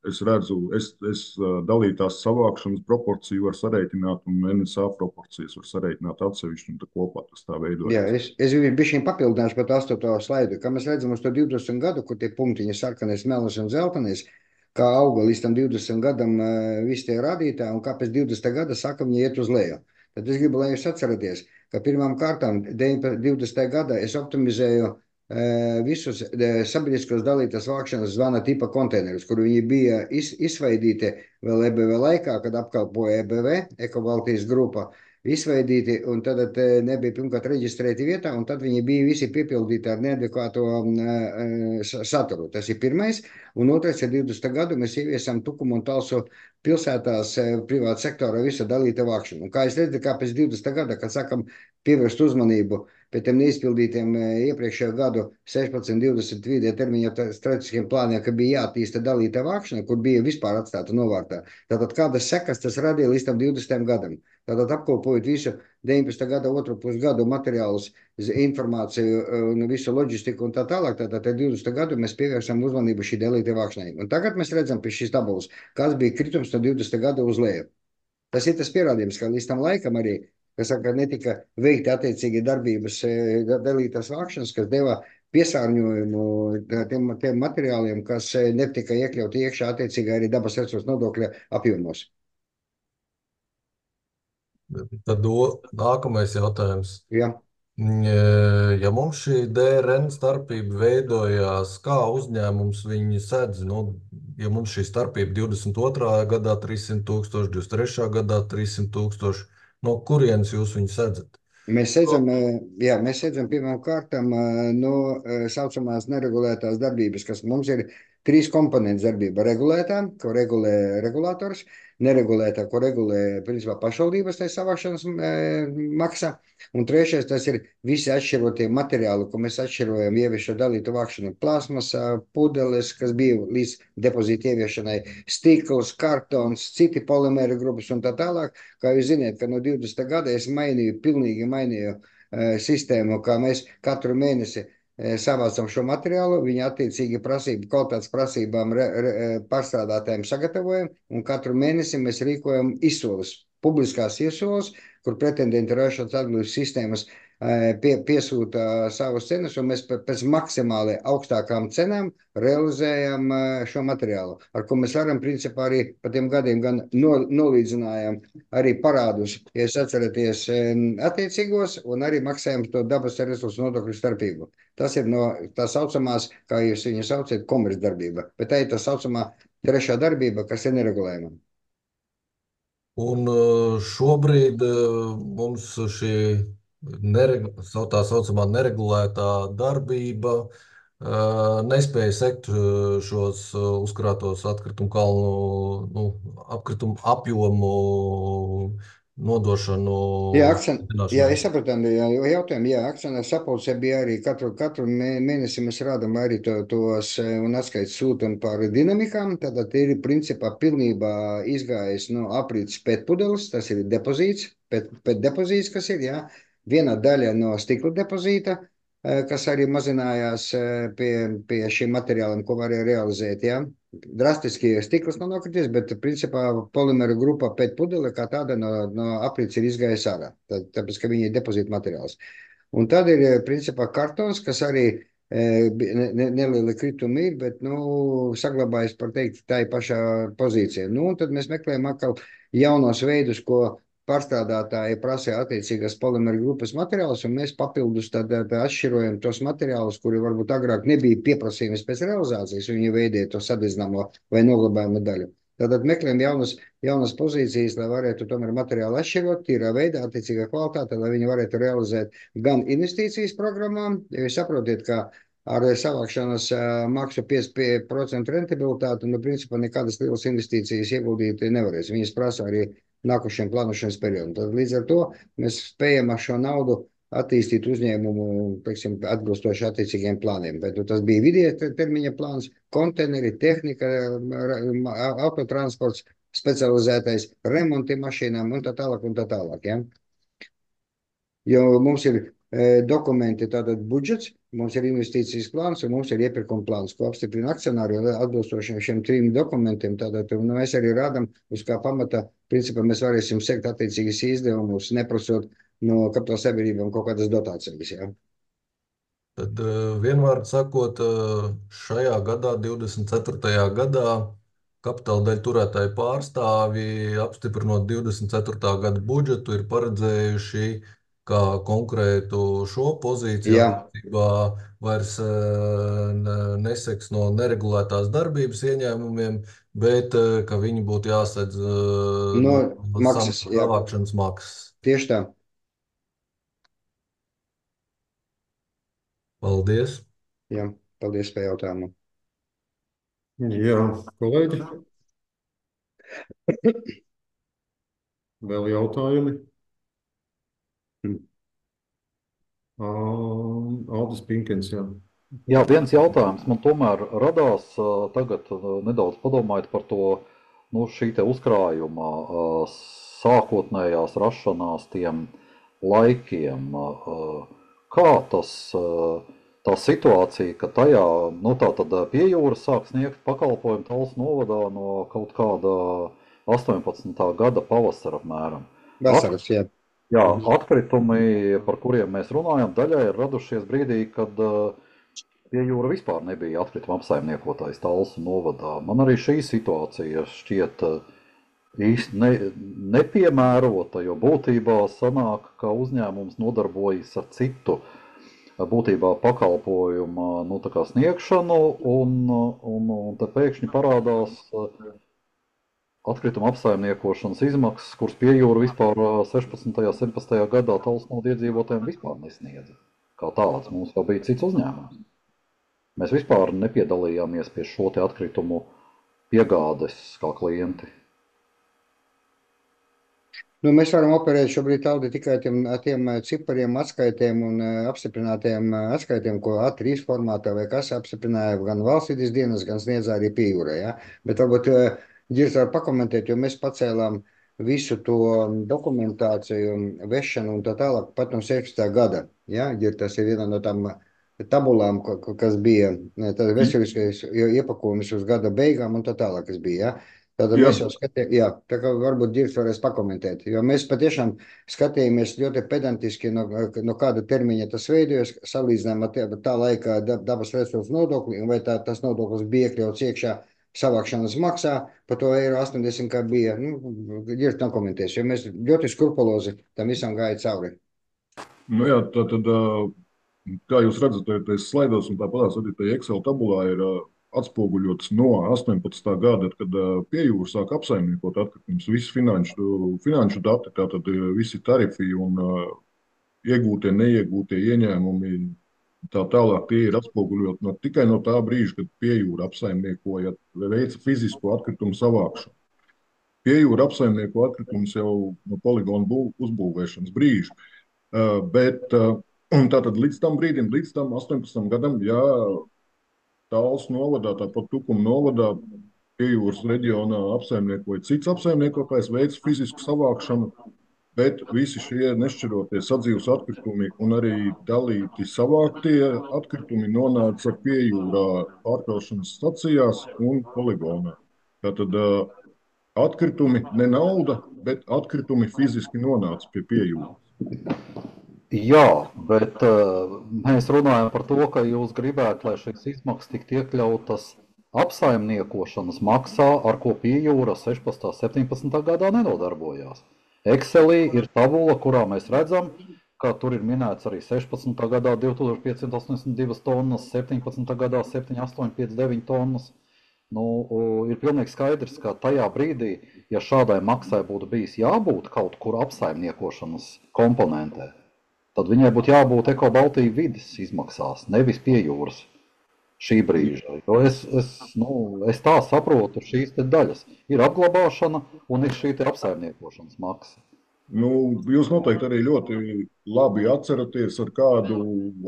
es redzu, es dalītās savākšanas proporciju var sareiķināt un NSA proporcijas var sareiķināt atsevišķi, un tā kopā tas tā veidojas. Jā, es bišķiņ papildināšu par 8. slaidu, kā mēs redzam uz to 20 gadu, kur tie punktiņi sarkanais, melnais un zeltenais, kā auga līdz tam 20 gadam visi tie rādītāji, un kā pēc 20 gada sākam viņi iet uz leju. Tad es gribu, lai jūs atceraties, ka pirmām kārtām 20. gadā es optimizēju visus sabiedriskos dalītās vākšanas zvana tipa konteinerus, kur viņi bija izveidīti vēl EBV laikā, kad apkalpoja EBV, Eko-Baltijas grupa, izveidīti, un tad nebija pirmkārt reģistrēti vietā, un tad viņi bija visi piepildīti ar neadekvāto saturu. Tas ir pirmais, un otrais ir 20. gadu mēs ieviesam Tukumu un Talsu pilsētās privāta sektora visa dalīta vākšana. Un kā es redzu, kā pēc 20. gada, kad sākam pievērst uzmanību pēc tiem neizpildītiem iepriekšējo gadu 16, 20 vidē termiņa strateģiskiem plāniem, ka bija jātīsta dalīta vākšana, kur bija vispār atstāta novārtā. Tātad kādas sekas tas radīja līdz tam 20. gadam? Tātad apkopojot visu 19. gada otru pusgadu materiālus, informāciju un visu loģistiku un tā tālāk, tātad 20. gadu mēs pievērsām uzmanību šī dalīta vākšanai. Un tagad mēs redzam pie šīs tabulas, kāds bija kritums no 20. gada uz leju. Tas ir tas pierādījums, ka līdz tam laikam arī, kas saka, netika veikti attiecīgi darbības dalītās vākšanas, kas deva piesārņojumu tiem materiāliem, kas netika iekļauti iekšā attiecīgi arī dabas resursu nodokļa apjomos. Tad nākamais jautājums. Jā. Ja mums šī DRN starpība veidojās, kā uzņēmums viņi sedz, ja mums šī starpība 22. gadā 300 000, 23. gadā 300 000, no kurienes jūs viņu sedzat? Mēs sēdzam pirmām kārtām no saucamās neregulētās darbības, kas mums ir 3 komponentes darbība. Regulētā, ko regulē regulators, neregulētā, ko regulē principā pašvaldības tai savākšanas maksa, un trešais tas ir visi atšķirotie materiāli, ko mēs atšķirojam ieviešo dalītu vākšanu, plasmas, pudeles, kas bija līdz depozīta ieviešanai, stikls, kartons, citi polimēra grupas un tā tālāk. Kā jūs zināt, ka no 20. gada es pilnīgi mainīju sistēmu, kā mēs katru mēnesi savācam šo materiālu, viņa attiecīgi kvalitātes prasībām pārstrādātājiem sagatavojam, un katru mēnesi mēs rīkojam izsoles, publiskās izsoles, kur pretendenti ražotas atbildes sistēmas piesūta savus cenas, un mēs pēc maksimāli augstākām cenām realizējam šo materiālu, ar ko mēs varam principā arī pa tiem gadiem gan nolīdzinājām arī parādus, ja jūs atceraties attiecīgos, un arī maksājam to dabas resursu nodokļu starpību. Tas ir no tā saucamās, kā jūs viņu saucat, komercdarbība, bet tā ir tā saucamā trešā darbība, kas ir neregulējama. Un šobrīd mums šī tā saucamā neregulētā darbība nespēja sekt šos uzkrātos atkritumu kalnu, atkritumu apjomu nodošanu. Jā, es sapratu, jautājumu. Jā, akcionārs sapulcē bija arī katru mēnesi mēs rādām arī tos un atskaits sūtam par dinamikām. Tātad ir principā pilnībā izgājis no aprīts pētpudeles, tas ir depozīts, pētdepozīts, kas ir, jā. Viena daļa no stikla depozīta, kas arī mazinājās pie šiem materiāliem, ko varēja realizēt, jā. Drastiski stikls nav nokrities, bet principā polimēra grupa pētpudele kā tāda no aprīts ir izgājis ārā, tāpēc, ka viņi ir depozīta materiāls. Un tad ir principā kartons, kas arī nelieli kritumi ir, bet, saglabājas, par teikt, tā ir pašā pozīcija. Un tad mēs meklējam atkal jaunos veidus, ko pārstrādātāji prasīja attiecīgās polimēra grupas materiālus, un mēs papildus tad atšķirojam tos materiālus, kuri varbūt agrāk nebija pieprasījums pēc realizācijas, viņi veidīja to sadedzināmo vai noglabājumu daļu. Tātad meklējam jaunas pozīcijas, lai varētu tomēr materiālu atšķirot, tīrā veidā, attiecīgā kvalitāte, lai viņi varētu realizēt gan investīcijas programmām, jo jūs saprotiet, ka ar savākšanas maksu 5% rentabilitāti, principā nekādas lielas investīcijas ieguldīt nevarēs. Viņas prasa arī nākušiem plānošanas periodam. Tad līdz ar to mēs spējam ar šo naudu attīstīt uzņēmumu, teiksim, atbilstoši attiecīgiem plāniem. Bet tas bija vidēja termiņa plāns, konteineri, tehnika, autotransports, specializētais remonti mašīnām un tā tālāk. Ja? Jo mums ir dokumenti, tātad budžets, mums ir investīcijas plāns un mums ir iepirkuma plāns, ko apstiprina akcionāri atbilstoši šiem 3 dokumentiem. Tātad mēs arī rādam, uz kā pamata, principā mēs varēsim sekt attiecīgas izdevumus, neprasot no kapitāla sabiedrībām kaut kādas dotācijas. Ja? Tad vienvārdu sakot, šajā gadā, 24. gadā, kapitāla daļu turētāju pārstāvi, apstiprinot 24. gada budžetu, ir paredzējuši, kā konkrētu šo pozīciju attiecībā vairs neseks no neregulētās darbības ieņēmumiem, bet ka viņi būtu jāsedz no maksas, savākšanas maksas. Tieši tā. Paldies. Jā, paldies par jautājumu. Jā, kolēģi. Vēl jautājumi? Aldis Pinkins, jā. Jā, viens jautājums man tomēr radās tagad nedaudz padomājot par to, šī te uzkrājuma sākotnējās rašanās tiem laikiem. Kā tā situācija, ka tajā, tātad pie jūras sāk sniegt pakalpojumu Talsu novadā no kaut kāda 18. gada pavasara apmēram. Vasaras, jā. Jā, atkritumi, par kuriem mēs runājam, daļai ir radušies brīdī, kad pie jūra vispār nebija atkrituma apsaimniekotājs Talsu novadā. Man arī šī situācija šķiet īsti nepiemērota, jo būtībā sanāk, ka uzņēmums nodarbojas ar citu būtībā pakalpojumu tā kā sniegšanu, un te pēkšņi parādās atkrituma apsaimniekošanas izmaksas, kuras pie jūra vispār 16. un 17. gadā Talsnoda iedzīvotājiem vispār nesniedza. Kā tāds mums jau bija cits uzņēmums. Mēs vispār nepiedalījāmies pie šo te atkritumu piegādes kā klienti. Nu, mēs varam operēt šobrīd Aldi tikai ar tiem cipariem, atskaitiem un apstiprinātiem atskaitiem, ko A3 formātā vai kas apstiprināja gan valstsvides dienas, gan sniedz arī pie jūrā. Ja? Bet varbūt Ģirs var pakomentēt, jo mēs pacēlām visu to dokumentāciju, vešanu un tā tālāk pat no 16. gada. Ja? Ģir, tas ir viena no tām tabulām, kas bija tāda veseliskais iepakojums uz gada beigām un tā tālāk, kas bija. Ja? Tātad mēs jau skatījāmies, jā, tā kā varbūt Ģirs varēs pakomentēt, jo mēs patiešām skatījāmies ļoti pedantiski, no kāda termiņa tas veidojas, salīdzinām ar tā laika dabas resursu nodokli, un vai tas nodoklis bija iekļauts iekšā savākšanas maksā, par to €80, kā bija. Ģirs nokomentēs, jo mēs ļoti skrupulozi tam visam gāja cauri. Nu jā, tātad, kā jūs redzat, tajos slaidos un tāpatās arī tajā Excel tabulā ir atspoguļots no 18. gada, kad pie jūra sāk apsaimniekot atkritumus, visi finanšu dati, tātad visi tarifi un iegūtie, neiegūtie ieņēmumi, tā tālāk tie ir atspoguļoti tikai no tā brīža, kad pie jūra apsaimniekoja vai veica fizisko atkritumu savākšanu. Pie jūra apsaimnieko atkritumus jau no poligona uzbūvēšanas brīža. Bet tātad līdz tam brīdim, līdz tam 18. gadam, jā, Tāls novadā, tāpat Tukuma novadā, pie jūras reģionā apsaimniekoja cits apsaimniekotājs, veids fizisku savākšanu, bet visi šie nešķirotie sadzīves atkritumi un arī dalīti savāktie atkritumi nonāca pie jūrā pārkraušanas stacijās un poligonā. Tātad atkritumi ne nauda, bet atkritumi fiziski nonāca pie jūras. Jā, bet mēs runājam par to, ka jūs gribētu, lai šīs izmaksas tiktu iekļautas apsaimniekošanas maksā, ar ko pie jūra 16. un 17. gadā nenodarbojās. Excelī ir tabula, kurā mēs redzam, ka tur ir minēts arī 16. gadā 2582 tonnas, 17. gadā 7859 tonnas. Ir pilnīgi skaidrs, ka tajā brīdī, ja šādai maksai būtu bijis jābūt kaut kur apsaimniekošanas komponentē, tad viņai būtu jābūt Eko-Baltija vides izmaksās, nevis pie jūras šī brīža. Jo es tā saprotu šīs te daļas. Ir apglabāšana un ir šī te apsaimniekošanas maksa. Jūs noteikti arī ļoti labi atceraties, ar kādu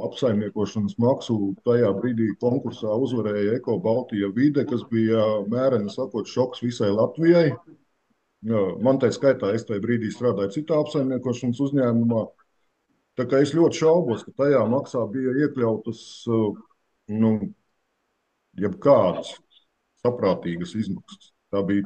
apsaimniekošanas maksu tajā brīdī konkursā uzvarēja Eko-Baltija vide, kas bija mēreni sakot šoks visai Latvijai. Man tai skaitā, es tajā brīdī strādāju citā apsaimniekošanas uzņēmumā. Tā kā es ļoti šaubos, ka tajā maksā bija iekļautas jebkādas saprātīgas izmaksas. Tā bija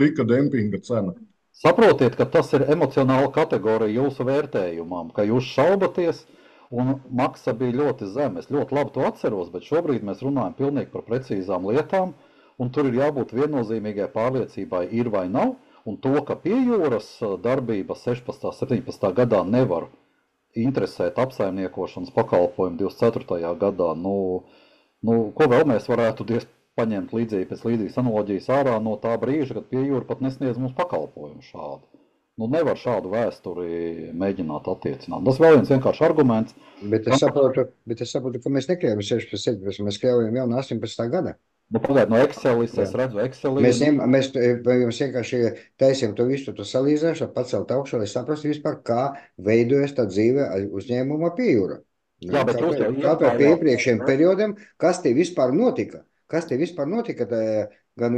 tikai dempinga cena. Saprotiet, ka tas ir emocionāla kategorija jūsu vērtējumam, ka jūs šaubaties un maksa bija ļoti zema. Es ļoti labi to atceros, bet šobrīd mēs runājam pilnīgi par precīzām lietām, un tur ir jābūt viennozīmīgai pārliecībai, ir vai nav. Un to, ka pie jūras darbība 16. un 17. gadā nevar interesēt apsaimniekošanas pakalpojumu 24. gadā, ko vēl mēs varētu paņemt pēc līdzīgas analoģijas ārā no tā brīža, kad pie jūra pat nesniedz mums pakalpojumu šādu. Nevar šādu vēsturi mēģināt attiecināt. Tas vēl viens vienkārši arguments. Bet es saprotu, ka mēs nekļaujam 16. 17. Mēs kļaujam jau no 18. gada. Pagājuši no Excelis, es redzu Excelī. Mēs jums vienkārši taisījām to visu, to salīdzināšanu, pacelt augšu, lai saprastu vispār, kā veidojas tā dzīve uzņēmuma pie jūra. Kā pie iepriekšējiem periodiem, kas te vispār notika? Kas te vispār notika gan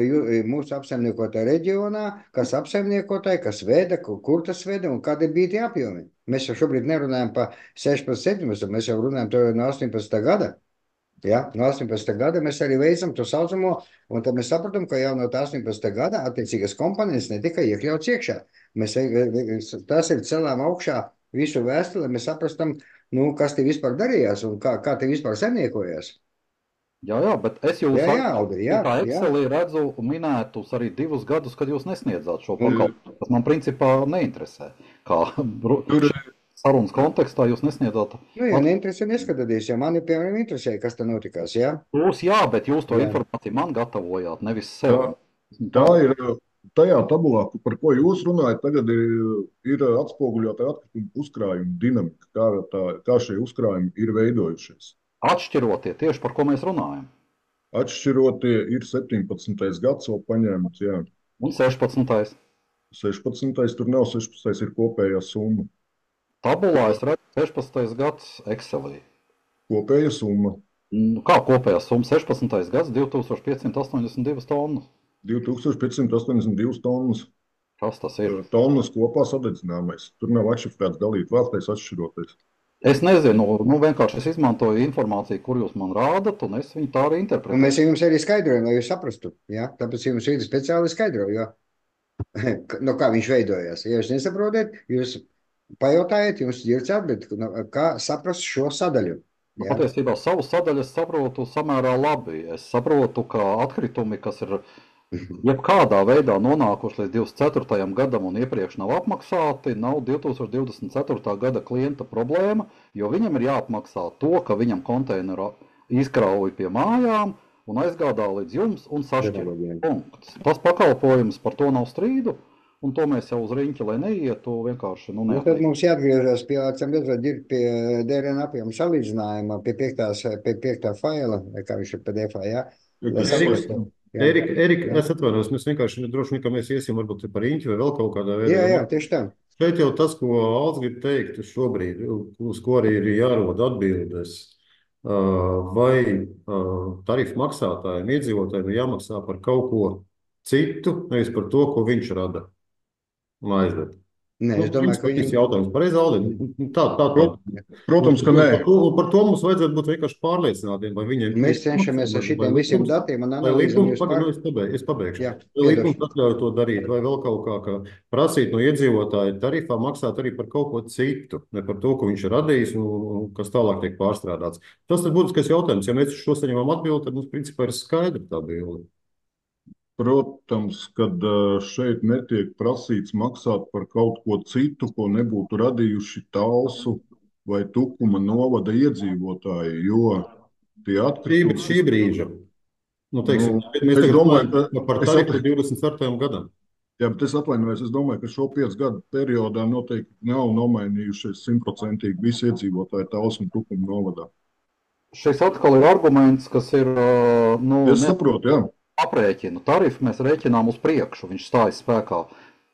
mūsu apsaimniekotā reģionā, kas apsaimniekotāji, kas veda, kur tas veda un kādi bija tie apjomi? Mēs jau šobrīd nerunājam par 16. 17. Mēs jau runājam no 18. gada. Ja, no 18. gada mēs arī veicam to saucamo, un tad mēs sapratam, ka jau no 18. gada attiecīgas komponentes netika iekļauts iekšā. Tas ir celām augšā visu vēstuli, lai mēs saprastam, kas te vispār darījās un kā te vispār saimniekojās. Jā, bet es jūs Excelī redzu minētus arī 2 gadus, kad jūs nesniedzāt šo pakalpojumu, kas man principā neinteresē. Sarunas kontekstā jūs nesniedzāt. Ja neinteresē, neskatāties, ja mani, piemēram, interesē, kas te notikās, jā? Bet jūs to informāciju man gatavojāt, nevis sev. Tā ir tajā tabulā, par ko jūs runājat, tagad ir atspoguļota atkrituma uzkrājuma dinamika, kā šie uzkrājumi ir veidojušies. Atšķirotie tieši par ko mēs runājam. Atšķirotie ir 17. gads vēl paņēmts, jā. Un 16. 16. tur nav 16. ir kopējā summa. Tabulā es redzu 16. gads Excelī. Kopēja summa. Kā kopējā summa? 16. gads 2582 tonnas. 2582 tonnas. Kas tas ir? Tonnas kopā sadedzināmais. Tur nav atšifrēts dalīt vārtais atšķiroties. Es nezinu, vienkārši es izmantoju informāciju, kur jūs man rādat, un es viņu tā arī interpretēju. Un mēs jums arī skaidrojam, lai jūs saprastu. Ja? Tāpēc jums ir speciāli skaidroju, no kā viņš veidojās. Ja jūs nesaprotat, jūs pajautājiet, jums ģirds atbild, kā saprast šo sadaļu. Ja? Patiesībā savu sadaļu es saprotu samērā labi. Es saprotu, ka atkritumi, kas ir jebkādā veidā nonākuši līdz 24. gadam un iepriekš nav apmaksāti, nav 2024. gada klienta problēma, jo viņam ir jāapmaksā to, ka viņam konteineru izkrauj pie mājām un aizgādā līdz jums un sašķir. Punkts. Tas pakalpojums, par to nav strīdu, un to mēs jau uz riņķi, lai neietu, vienkārši Tad mums jāatgriežas pie DRN apjoma salīdzinājuma, pie 5. faila, kā viņš ir PDF, jā. Erika, es atvainojos, mēs vienkārši droši vien, ka mēs iesim varbūt par riņķi vai vēl kaut kādā veidā. Jā, tieši tā. Šeit jau tas, ko Alts grib teikt šobrīd, uz ko arī ir jārod atbildes, vai tarifu maksātājiem, iedzīvotājiem ir jāmaksā par kaut ko citu, nevis par to, ko viņš rada un aizdod. Nē, es domāju, ka viņš jautājums pareizi, Aldi. Tā. Protams, ka nē. Par to mums vajadzētu būt vienkārši pārliecinātiem, vai viņiem... Mēs cenšamies ar šitiem visiem datiem un analīzēm. Es pabeigšu. Vai likums atļauj to darīt, vai vēl kaut kā prasīt no iedzīvotāja tarifā maksāt arī par kaut ko citu, ne par to, ko viņš ir radījis un kas tālāk tiek pārstrādāts. Tas ir būtiskais jautājums. Ja mēs šo saņemam atbildi, tad mums principā ir skaidra tā bilde. Protams, kad šeit netiek prasīts maksāt par kaut ko citu, ko nebūtu radījuši Talsu vai Tukuma novada iedzīvotāji, jo tie atkritumi... Šī brīža. Mēs tagad domājam par tarifu 24. gadam. Jā, bet es atvainojos, es domāju, ka šo 5 gadu periodā noteikti nav nomainījušies 100% visi iedzīvotāji Talsu un Tukuma novadā. Šis atkal ir arguments, kas ir... Es saprotu, jā. Aprēķinu tarifu mēs rēķinām uz priekšu. Viņš stājas spēkā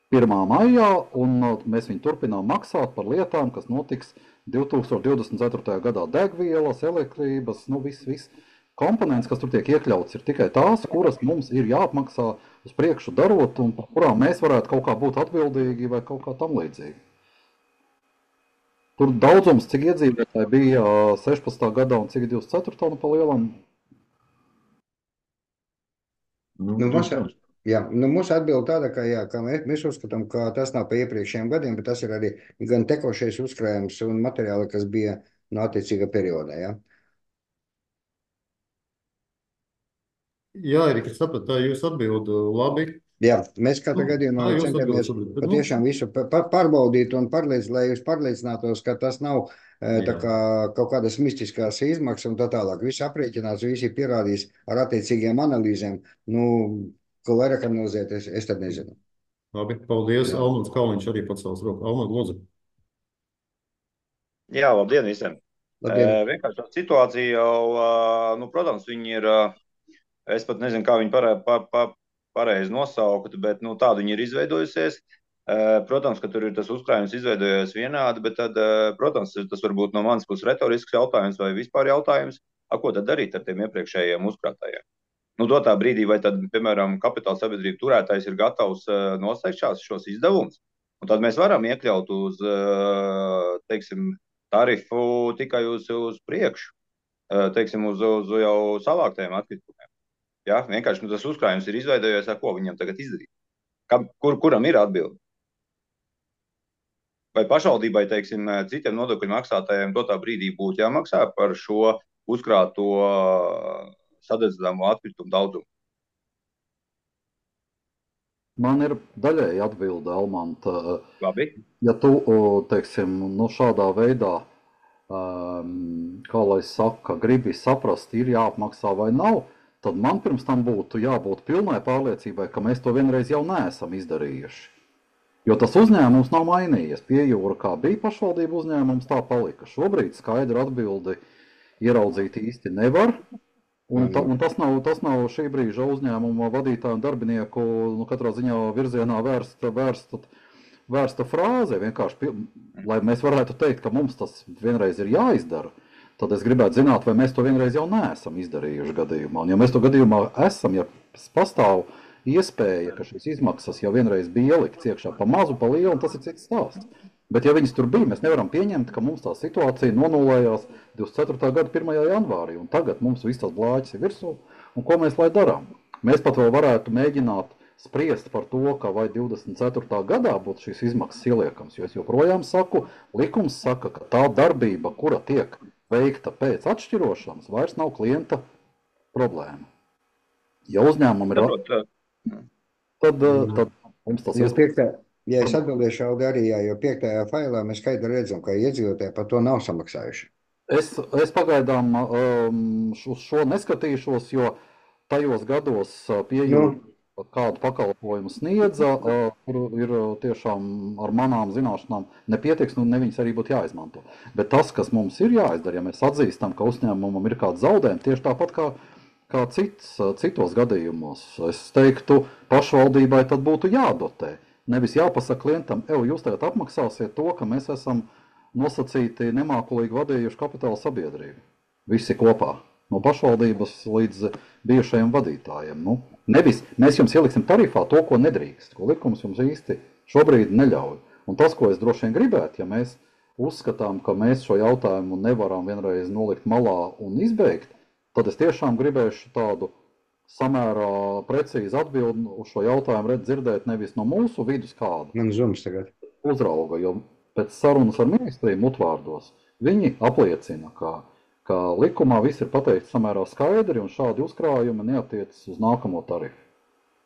1. maijā, un mēs viņu turpinām maksāt par lietām, kas notiks 2024. gadā. Degvielas, elektrības, viss komponents, kas tur tiek iekļauts, ir tikai tās, kuras mums ir jāapmaksā uz priekšu darot, un par kurām mēs varētu kaut kā būt atbildīgi vai kaut kā tam līdzīgi. Tur daudzums, cik iedzīvotāji bija 16. gadā un cik 24. pa lielam. Mūsu atbilde tāda, ka mēs uzskatām, ka tas nav pa iepriekšējiem gadiem, bet tas ir arī gan tekošais uzkrājums un materiāli, kas bija no attiecīga periodā. Jā, Erika, es sapratu, tā jūs atbildu labi. Jā, mēs katrā gadījumā centamies patiešām visu pārbaudīt un lai jūs pārliecinātos, ka tas nav tā kā kaut kādas mistiskās izmaksas un tā tālāk. Viss aprēķināts, visi pierādīs ar attiecīgiem analīzēm. Ko vairāk analizēt, es tad nezinu. Labi, paldies. Almans Kalniņš arī pacels roku. Almans, lūdzu. Jā, labdien visiem. Vienkārši tā situācija jau, protams, viņi ir, es pat nezinu, kā viņi pareizi nosaukt, bet tādu viņi ir izveidojusies. Protams, ka tur ir tas uzkrājums izveidojies vienādi, bet tad, protams, tas var būt no manas puses retorisks jautājums vai vispār jautājums, ko tad darīt ar tiem iepriekšējiem uzkrātājiem. Dotā brīdī, vai tad, piemēram, kapitāla sabiedrība turētājs ir gatavs noslēgt šos izdevumus, un tad mēs varam iekļaut uz, teiksim, tarifu tikai uz priekšu, teiksim, uz jau savāktajiem atkritumiem. Ja? Vienkārši tas uzkrājums ir izveidojies, ar ko viņam tagad izdarīt. Kuram ir atbildi? Vai pašvaldībai, teiksim, citiem nodokļu maksātājiem dotā brīdī būtu jāmaksā par šo uzkrāto sadedzināmo atkritumu daudzumu? Man ir daļēji atbilde, Almanta. Labi. Ja tu, teiksim, šādā veidā, kā lai saka, gribi saprast, ir jāapmaksā vai nav, tad man pirms tam būtu jābūt pilnai pārliecībai, ka mēs to vienreiz jau neesam izdarījuši. Jo tas uzņēmums nav mainījies. Pie jūra, kā bija pašvaldību uzņēmums, tā palika. Šobrīd skaidru atbildi ieraudzīt īsti nevar. Un tas nav šī brīža uzņēmuma vadītāju un darbinieku katrā ziņā virzienā vērsta frāze. Vienkārši, lai mēs varētu teikt, ka mums tas vienreiz ir jāizdara, tad es gribētu zināt, vai mēs to vienreiz jau neesam izdarījuši gadījumā. Un ja mēs to gadījumā esam, ja pastāv iespēja, ka šīs izmaksas jau vienreiz bija ielikts iekšā pa mazu, pa lielu, un tas ir cits stāsts. Bet ja viņas tur bija, mēs nevaram pieņemt, ka mums tā situācija nonulējās 24. gada 1. janvārī, un tagad mums viss tas blāķis ir virsū, un ko mēs lai darām? Mēs pat vēl varētu mēģināt spriest par to, ka vai 24. gadā būtu šīs izmaksas ieliekams, jo es joprojām saku, likums saka, ka tā darbība, kura tiek veikta pēc atšķirošanas, vairs nav klienta problēma. Ja uzņēmumi ir... Tad mums tas iespējas. Ja es atbildēšu arī, jo 5. failā mēs skaidri redzam, ka iedzīvotāji par to nav samaksājuši. Es pagaidām uz šo neskatīšos, jo tajos gados pieejot kādu pakalpojumu sniedza, kur ir tiešām ar manām zināšanām nepietiks, un ne viņas arī būtu jāizmanto. Bet tas, kas mums ir jāizdara, ja mēs atzīstam, ka uzņēmumam ir kāds zaudējums, tieši tāpat kā citos gadījumos, es teiktu, pašvaldībai tad būtu jādotē. Nevis jāpasaka klientam, jūs tagad apmaksāsiet to, ka mēs esam nosacīti nemākulīgi vadījuši kapitāla sabiedrību. Visi kopā. No pašvaldības līdz bijušajiem vadītājiem. Nevis mēs jums ieliksim tarifā to, ko nedrīkst, ko likums jums īsti šobrīd neļauj. Un tas, ko es droši vien gribētu, ja mēs uzskatām, ka mēs šo jautājumu nevaram vienreiz nolikt malā un izbeigt, tad es tiešām gribēšu tādu samērā precīzi atbildi uz šo jautājumu dzirdēt nevis no mūsu vidus kādu. Man zums tagad. Uzrauga, jo pēc sarunas ar ministriju mutvārdos viņi apliecina, ka likumā viss ir pateikts samērā skaidri un šādi uzkrājumi neatiecas uz nākamo tarifu.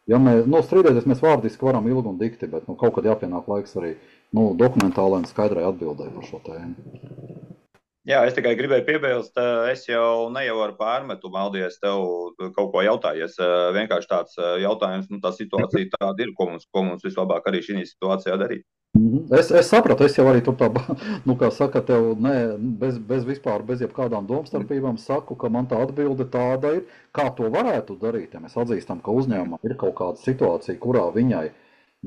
Ja strīdēties mēs vārdiski varam ilgi un dikti, bet kaut kad jāpienāk laiks arī dokumentālai un skaidrai atbildēji par šo tēmu. Jā, es tikai gribēju piebilst, es jau nevaru pārmetu, Maldies, tev kaut ko jautājies. Vienkārši tāds jautājums, tā situācija tāda ir, ko mums vislabāk arī šī situācijā darīt. Es sapratu, es jau arī tur tā, kā saka, tev bez jebkādām domstarpībām saku, ka man tā atbilde tāda ir, kā to varētu darīt, ja mēs atzīstam, ka uzņēmumam ir kaut kāda situācija, kurā viņai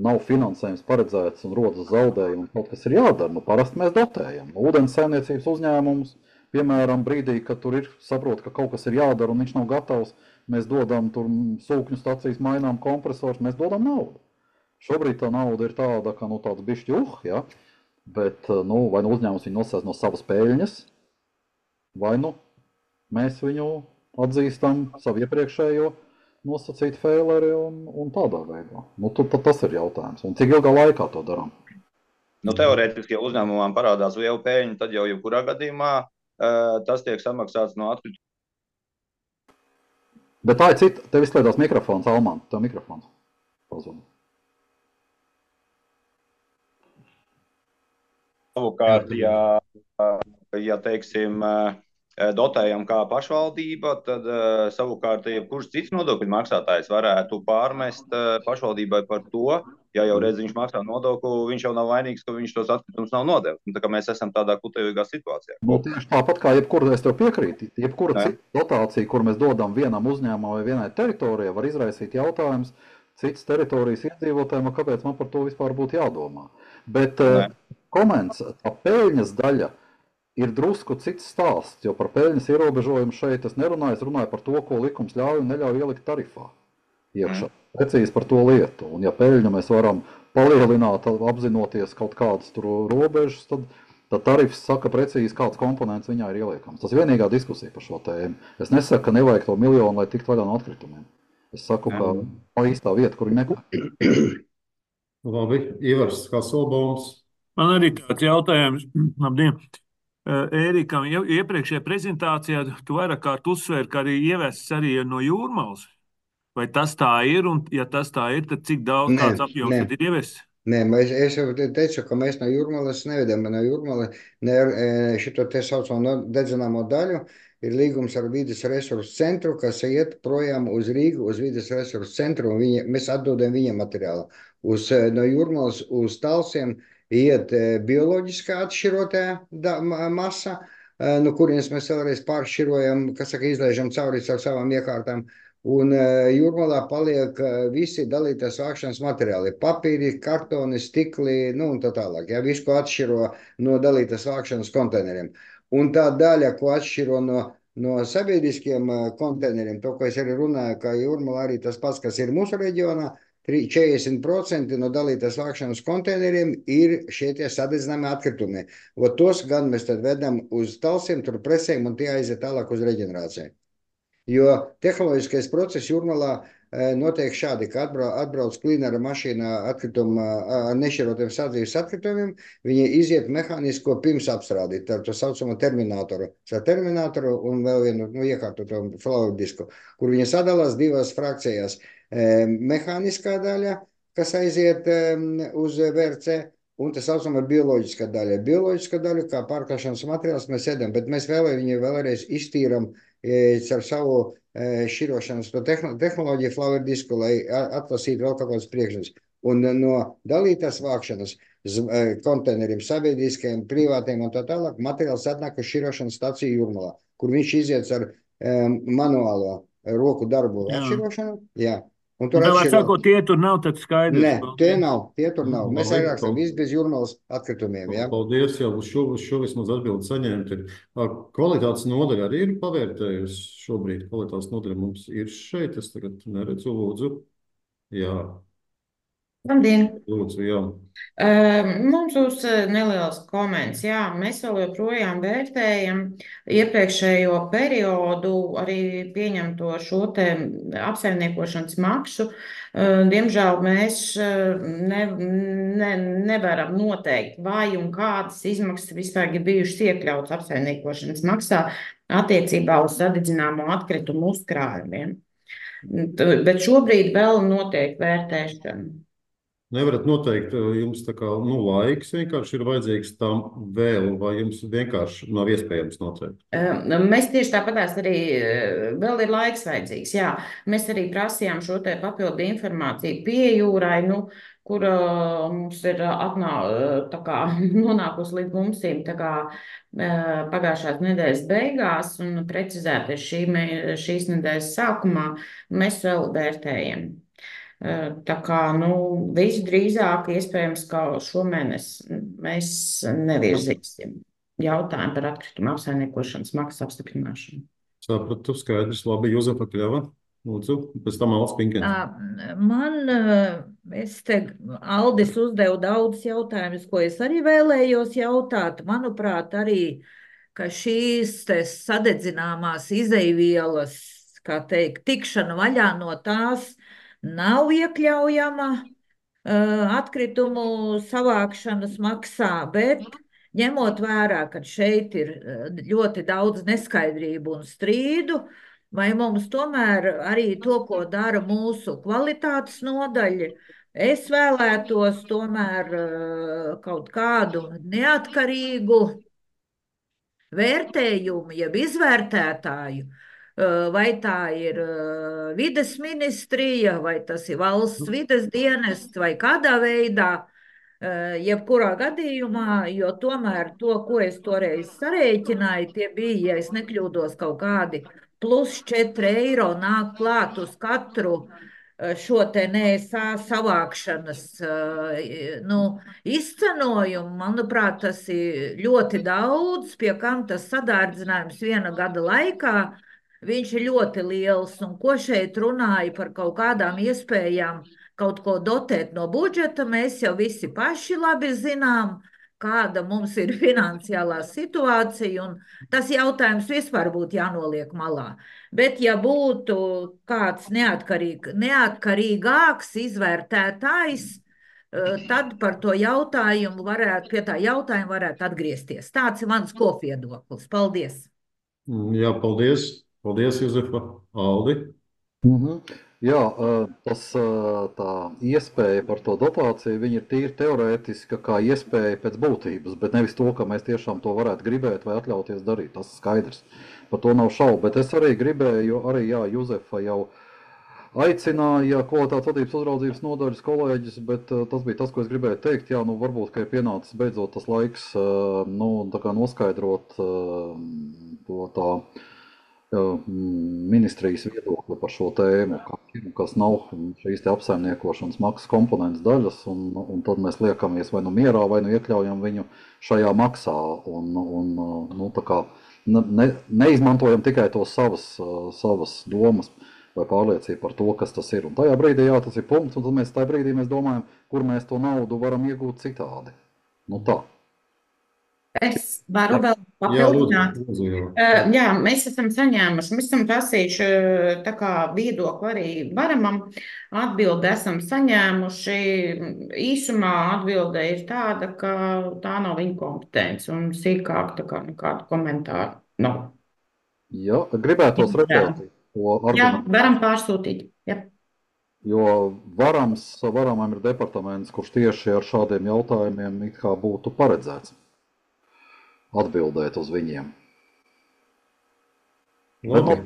nav finansējums paredzēts un rodas zaudējumi, un kaut kas ir jādara. Parasti mēs dotējam. Ūdens saimniecības uzņēmums, piemēram, brīdī, kad tur ir saprot, ka kaut kas ir jādara un viņš nav gatavs, mēs dodam tur sūkņu stacijas, mainām kompresors, mēs dodam naudu. Šobrīd tā nauda ir tāda, ka tāds bišķi ja? Bet vai uzņēmums viņu nosēs no savas peļņas, vai mēs viņu atzīstam savu iepriekšējo nosacīt faileri un tādā veidā. Tas ir jautājums. Un cik ilgā laikā to darām? Teorētiski, ja uzņēmumam parādās liela peļņa, tad jau jebkurā gadījumā tas tiek samaksāts no atkrituma. Bet tā ir cita. Tev izslēdzās mikrofons, Alman. Tev mikrofons pazūd. Savukārt, ja teiksim, dotējam kā pašvaldība, tad savukārt jebkurš cits nodokļu maksātājs varētu pārmest pašvaldībai par to, ja jau reiz viņš maksā nodokli, viņš jau nav vainīgs, ka viņš tos atkritumus nav nodevis. Tā kā mēs esam tādā kutējīgā situācijā. Tieši tāpat kā jebkura, es tev piekrītu, jebkura cita dotācija, kur mēs dodam vienam uzņēmumam vai vienai teritorijai, var izraisīt jautājums citas teritorijas iedzīvotājiem, kāpēc man par to vispār būtu jādomā. Bet koments, tā peļņas daļa ir drusku cits stāsts, jo par peļņas ierobežojumu šeit es nerunāju, es runāju par to, ko likums ļauj un neļauj ielikt tarifā iekšā. Precīzi par to lietu. Un ja peļņu mēs varam palielināt, apzinoties kaut kādas tur robežas, tad tarifs saka precīzi, kāds komponents viņā ir ieliekams. Tas ir vienīgā diskusija par šo tēmu. Es nesaku, ka nevajag to miljonu, lai tikt vaļā no atkritumiem. Es saku, ka tā īstā vieta, kur viņi meklē. Labi, Ivars, kā Solbaums? Man arī tāds jautājums. Labdien! Ērikam, iepriekšējā prezentācijā tu vairāk kārt uzsvēri, ka arī ievests arī no Jūrmalas. Vai tas tā ir? Un ja tas tā ir, tad cik daudz kāds apjoms tad ir ievests? Nē, es jau teicu, ka mēs no Jūrmalas nevedam, no Jūrmala šito te saucamo dedzināmo daļu. ir līgums ar vides resursu centru, kas iet projām uz Rīgu, uz vides resursu centru, un mēs atdodam viņam materiālu. No Jūrmalas uz Talsiem iet bioloģiskā atšķirotā masa, no kurienes mēs vēlreiz pāršķirojam, kas saka, izlaižam cauri ar savām iekārtām. Un Jūrmalā paliek visi dalītās vākšanas materiāli - papīri, kartoni, stikli, nu un tā tālāk. Ja, visu, ko atšķiro no dalītās vākšanas konteineriem. Un tā daļa, ko atšķiro no sabiedriskiem konteineriem, to, ko es arī runāju, ka Jūrmalā arī tas pats, kas ir mūsu reģionā, 40% no dalītās vākšanas konteineriem ir šie tie sadedzināmi atkritumi. Tos gan mēs tad vedam uz Talsiem, tur presēm, un tie aiziet tālāk uz reģenerāciju. Jo tehnoloģiskais process Jūrmalā notiek šādi, ka atbrauc klīnera mašīna ar nešķirotiem sadzīves atkritumiem, viņi iziet mehānisko pirms apstrādi, tā saucamo terminātoru un vēl vienu iekārtoto flow disku, kur viņi sadalās divās frakcijās. Mehāniskā daļa, kas aiziet uz VRC, un tā saucamā bioloģiskā daļa. Bioloģiskā daļa, kā pārklāšanas materiāls, mēs ēdam, bet mēs viņu vēlreiz iztīram ar savu šķirošanas tehnoloģiju flower disku, lai atlasītu vēl kaut kādas priekšnes. Un no dalītās vākšanas konteineriem, sabiedriskajiem, privātiem un tā tālāk materiāls atnāk uz šķirošanas staciju Jūrmalā, kur viņš iziet ar manuālo roku darbu atšķirošanu. Jā. Un tur atšķirot. Tie tur nav tad skaidrs. Nē, tie tur nav. Mēs arī rakstam viss bez Jūrmalas atkritumiem. Jā. Paldies, jau uz šo vismaz atbildi saņemt. Kvalitātes nodaļa arī ir pavērtējusi šobrīd. Kvalitātes nodaļa mums ir šeit. Es tagad neredzu, lūdzu. Jā. Labdien! Lūdzu, jā. Mums būs neliels komments. Jā, mēs vēl joprojām vērtējam iepriekšējo periodu, arī pieņemto šo te apsaimniekošanas maksu. Diemžēl mēs nevaram noteikt, vai un kādas izmaksas vispār ir bijušas iekļautas apsaimniekošanas maksā attiecībā uz sadedzināmo atkritumu uzkrājumiem. Bet šobrīd vēl notiek vērtēšana. Nevarat noteikt, jums tā kā laiks vienkārši ir vajadzīgs tam vēl, vai jums vienkārši nav iespējams noteikt? Mēs tieši tāpatās arī vēl ir laiks vajadzīgs. Jā, mēs arī prasījām šo te papildu informāciju Piejūrai, kur mums ir nonākusi līdz mums pagājušās nedēļas beigās un precizēti šīs nedēļas sākumā. Mēs vēl vērtējam. Tā kā visdrīzāk iespējams, ka šomēnes mēs nevirzīsim jautājumu par atkritumu apsaimniekošanas maksas apstiprināšanu. Sapratu, skaidrs, labi, Juzefa Kļava, lūdzu, pēc tam Aldis Pinkens. Aldis uzdeva daudz jautājumus, ko es arī vēlējos jautāt. Manuprāt, arī, ka šīs sadedzināmās izeivielas, kā teikt, tikšana vaļā no tās nav iekļaujama atkritumu savākšanas maksā, bet ņemot vērā, ka šeit ir ļoti daudz neskaidrību un strīdu, vai mums tomēr arī to, ko dara mūsu kvalitātes nodaļa, es vēlētos tomēr kaut kādu neatkarīgu vērtējumu, jeb izvērtētāju, vai tā ir vides ministrija, vai tas ir valsts vides dienests, vai kādā veidā, jebkurā gadījumā, jo tomēr to, ko es toreiz sarēķināju, tie bija, ja es nekļūdos, kaut kādi plus 4 eiro nāk klāt uz katru šo te NSA savākšanas izcenojumu. Manuprāt, tas ir ļoti daudz, pie kam tas sadārdzinājums viena gada laikā. Viņš ir ļoti liels, un ko šeit runāja par kaut kādām iespējām kaut ko dotēt no budžeta, mēs jau visi paši labi zinām, kāda mums ir finansiālā situācija, un tas jautājums vispār būtu jānoliek malā. Bet ja būtu kāds neatkarīgāks izvērtētājs, tad par to jautājumu pie tā jautājuma varētu atgriezties. Tāds ir mans kopviedoklis. Paldies! Jā, paldies! Paldies, Juzefa. Aldi? Jā, tā iespēja par to dotāciju, viņa ir tīri teorētiska kā iespēja pēc būtības, bet nevis to, ka mēs tiešām to varētu gribēt vai atļauties darīt. Tas skaidrs. Par to nav šaubu. Bet es arī gribēju, jo arī, jā, Juzefa jau aicināja kvalitātes vadības uzraudzības nodaļas kolēģis, bet tas bija tas, ko es gribēju teikt. Jā, nu varbūt, ka ir pienācis beidzot tas laiks, nu, tā kā noskaidrot to tā ministrijas viedokli par šo tēmu, kas nav šīs te apsaimniekošanas maksas komponents daļas, un tad mēs liekamies vai nu mierā, vai nu iekļaujam viņu šajā maksā, un nu, tā kā neizmantojam tikai to savas domas vai pārliecību par to, kas tas ir. Un tajā brīdī, jā, tas ir punkts, un tad tajā brīdī mēs domājam, kur mēs to naudu varam iegūt citādi. Nu tā. Es varu vēl papildināt. Jā, mēs esam saņēmuši, mēs esam prasījuši tā kā viedokli arī varamam. Atbildi esam saņēmuši. Īsumā atbilde ir tāda, ka tā nav viņa kompetence un sīkāk tā kā nekādu komentāru nav. Jā, gribētos redzēt to argumentu. Jā, varam pārsūtīt. Jā. Jo varamam ir departaments, kurš tieši ar šādiem jautājumiem it kā būtu paredzēts atbildēt uz viņiem. Bet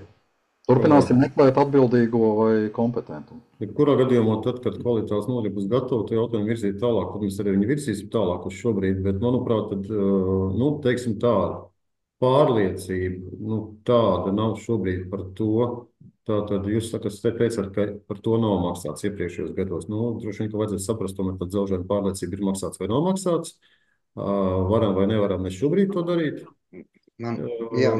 turpināsim meklēt atbildīgo vai kompetentu. Kurā gadījumā, tad, kad kvalitātes nodaļa būs gatava, to jautājumu virzīt tālāk, tad mēs arī viņu virzīsim tālāk uz šobrīd, bet, manuprāt, tad, nu, teiksim tā, pārliecība, nu, tāda nav šobrīd par to. Tātad jūs teicāt, ka par to nav maksāts iepriekšējos gados. Nu, droši vien, ka vajadzētu saprast, tomēr tad dzelžaina pārliecība ir maksāts vai nav maksāts. Varam vai nevaram mēs šobrīd to darīt? Jā,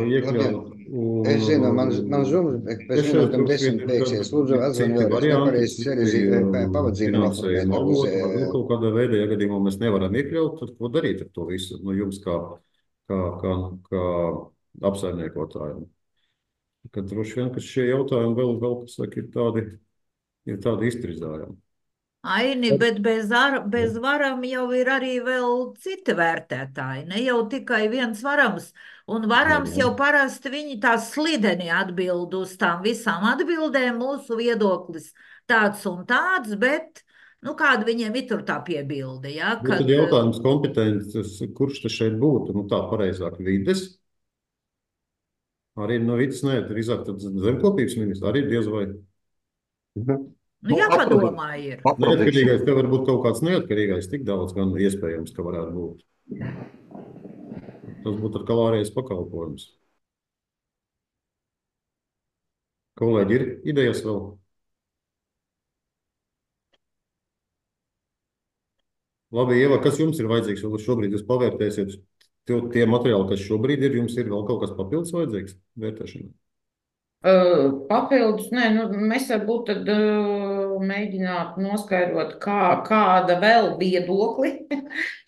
es zinu, man zūm, pēc minūtēm 10 beigsies. Lūdzu, atzvanu vēlreiz, nepareizi pavadzījumu. Kaut kādā veidā, ja gadījumā mēs nevaram iekļaut, tad ko darīt ar to visu? Nu, jums kā apsaimniekotājiem. Kad droši vien, ka šie jautājumi vēl kas saka, ir tādi iztrizājumi. Aini, bet bez varam jau ir arī vēl citi vērtētāji, ne jau tikai viens varams. Un varams jau parasti viņi tā slideni atbild uz tām visām atbildēm, mūsu viedoklis tāds un tāds, bet, nu, kāda viņiem ir tur tā piebilde, ja? Tad jautājums kompetences, kurš tas šeit būtu, nu tā pareizāk vides? Arī no vides, ne, drīzāk tad zemkopības ministrs, arī diez vai. Nu, jāpadomā ir. Neatkarīgais, te var būt kaut kāds neatkarīgais, tik daudz gan iespējams, ka varētu būt. Tas būtu ar kalārijas pakalpojums. Kolēģi, ir idejas vēl? Labi, Ieva, kas jums ir vajadzīgs? Šobrīd jūs pavērtēsiet tie materiāli, kas šobrīd ir, jums ir vēl kaut kas papildus vajadzīgs vērtēšanai? Papildus, nē, nu, mēs varbūt tad mēģināt noskaidrot, kāda vēl viedokli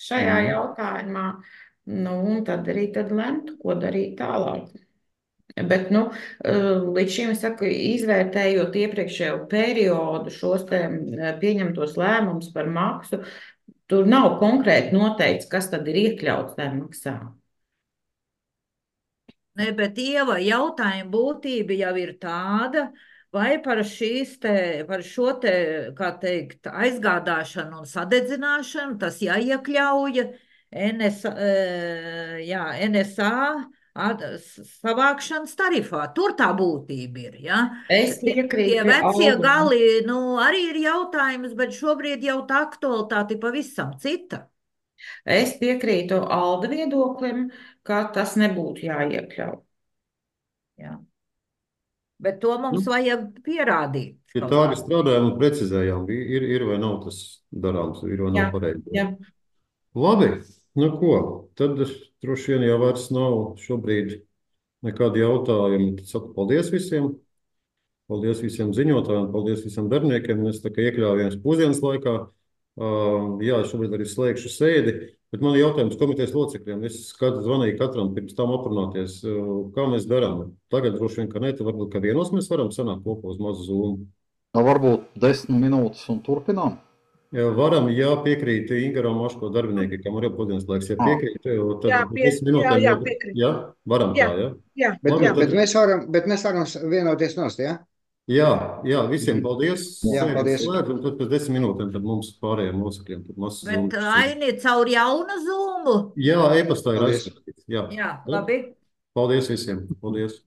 šajā jautājumā, nu, un tad arī lemt, ko darīt tālāk. Bet, nu, līdz šim, es saku, izvērtējot iepriekšējo periodu šos te pieņemtos lēmumus par maksu, tur nav konkrēti noteikts, kas tad ir iekļauts tajā maksā. Ne, bet Ieva, jautājuma būtība jau ir tāda, vai par šo te, kā teikt, aizgādāšanu un sadedzināšanu, tas jāiekļauja NSA savākšanas tarifā. Tur tā būtība ir, ja? Es piekrītu. Tie vecie gali, nu, arī ir jautājums, bet šobrīd jau tā aktualitāte pavisam cita. Es piekrītu Alda viedoklim, ka tas nebūtu jāiekļauj. Jā. Bet to mums vajag pierādīt. Ja tā arī strādājām un precizējām, ir vai nav tas darāms, ir vai nav pareizi. Jā. Labi, nu ko, tad droši vien jau vairs nav šobrīd nekādi jautājumi. Tad saku paldies visiem. Paldies visiem ziņotājiem, paldies visiem darbiniekiem. Mēs tā kā iekļāvāmies pusdienas laikā. Jā, šobrīd arī slēgšu sēdi, bet man ir jautājums komitejas locekļiem. Es zvanīju katram pirms tam aprunāties, kā mēs darām. Tagad droši vien, ka ne, tad varbūt, ka vienos mēs varam sanākt kopā uz mazu Zoom. Varbūt 10 minūtes un turpinām? Jā, varam, jā, piekrīt Ingaram Maško darbinieki, kam arī pusdienas laiks, ja piekrīt, tad 10 minūtēm. Jā, piekrīt. Jā, varam tā, jā? Jā, bet mēs varam vienoties nost, jā? Jā, visiem paldies. Jā, Sēdi paldies. slēdz, un tad pēc 10 minūtēm tad mums pārējiem locekļiem tad mazs Bet zūms. Aini caur jaunu zūmu. Jā, e-pastā ir Paldies. aizsūtīts. Jā. Jā, labi. Paldies visiem. Paldies.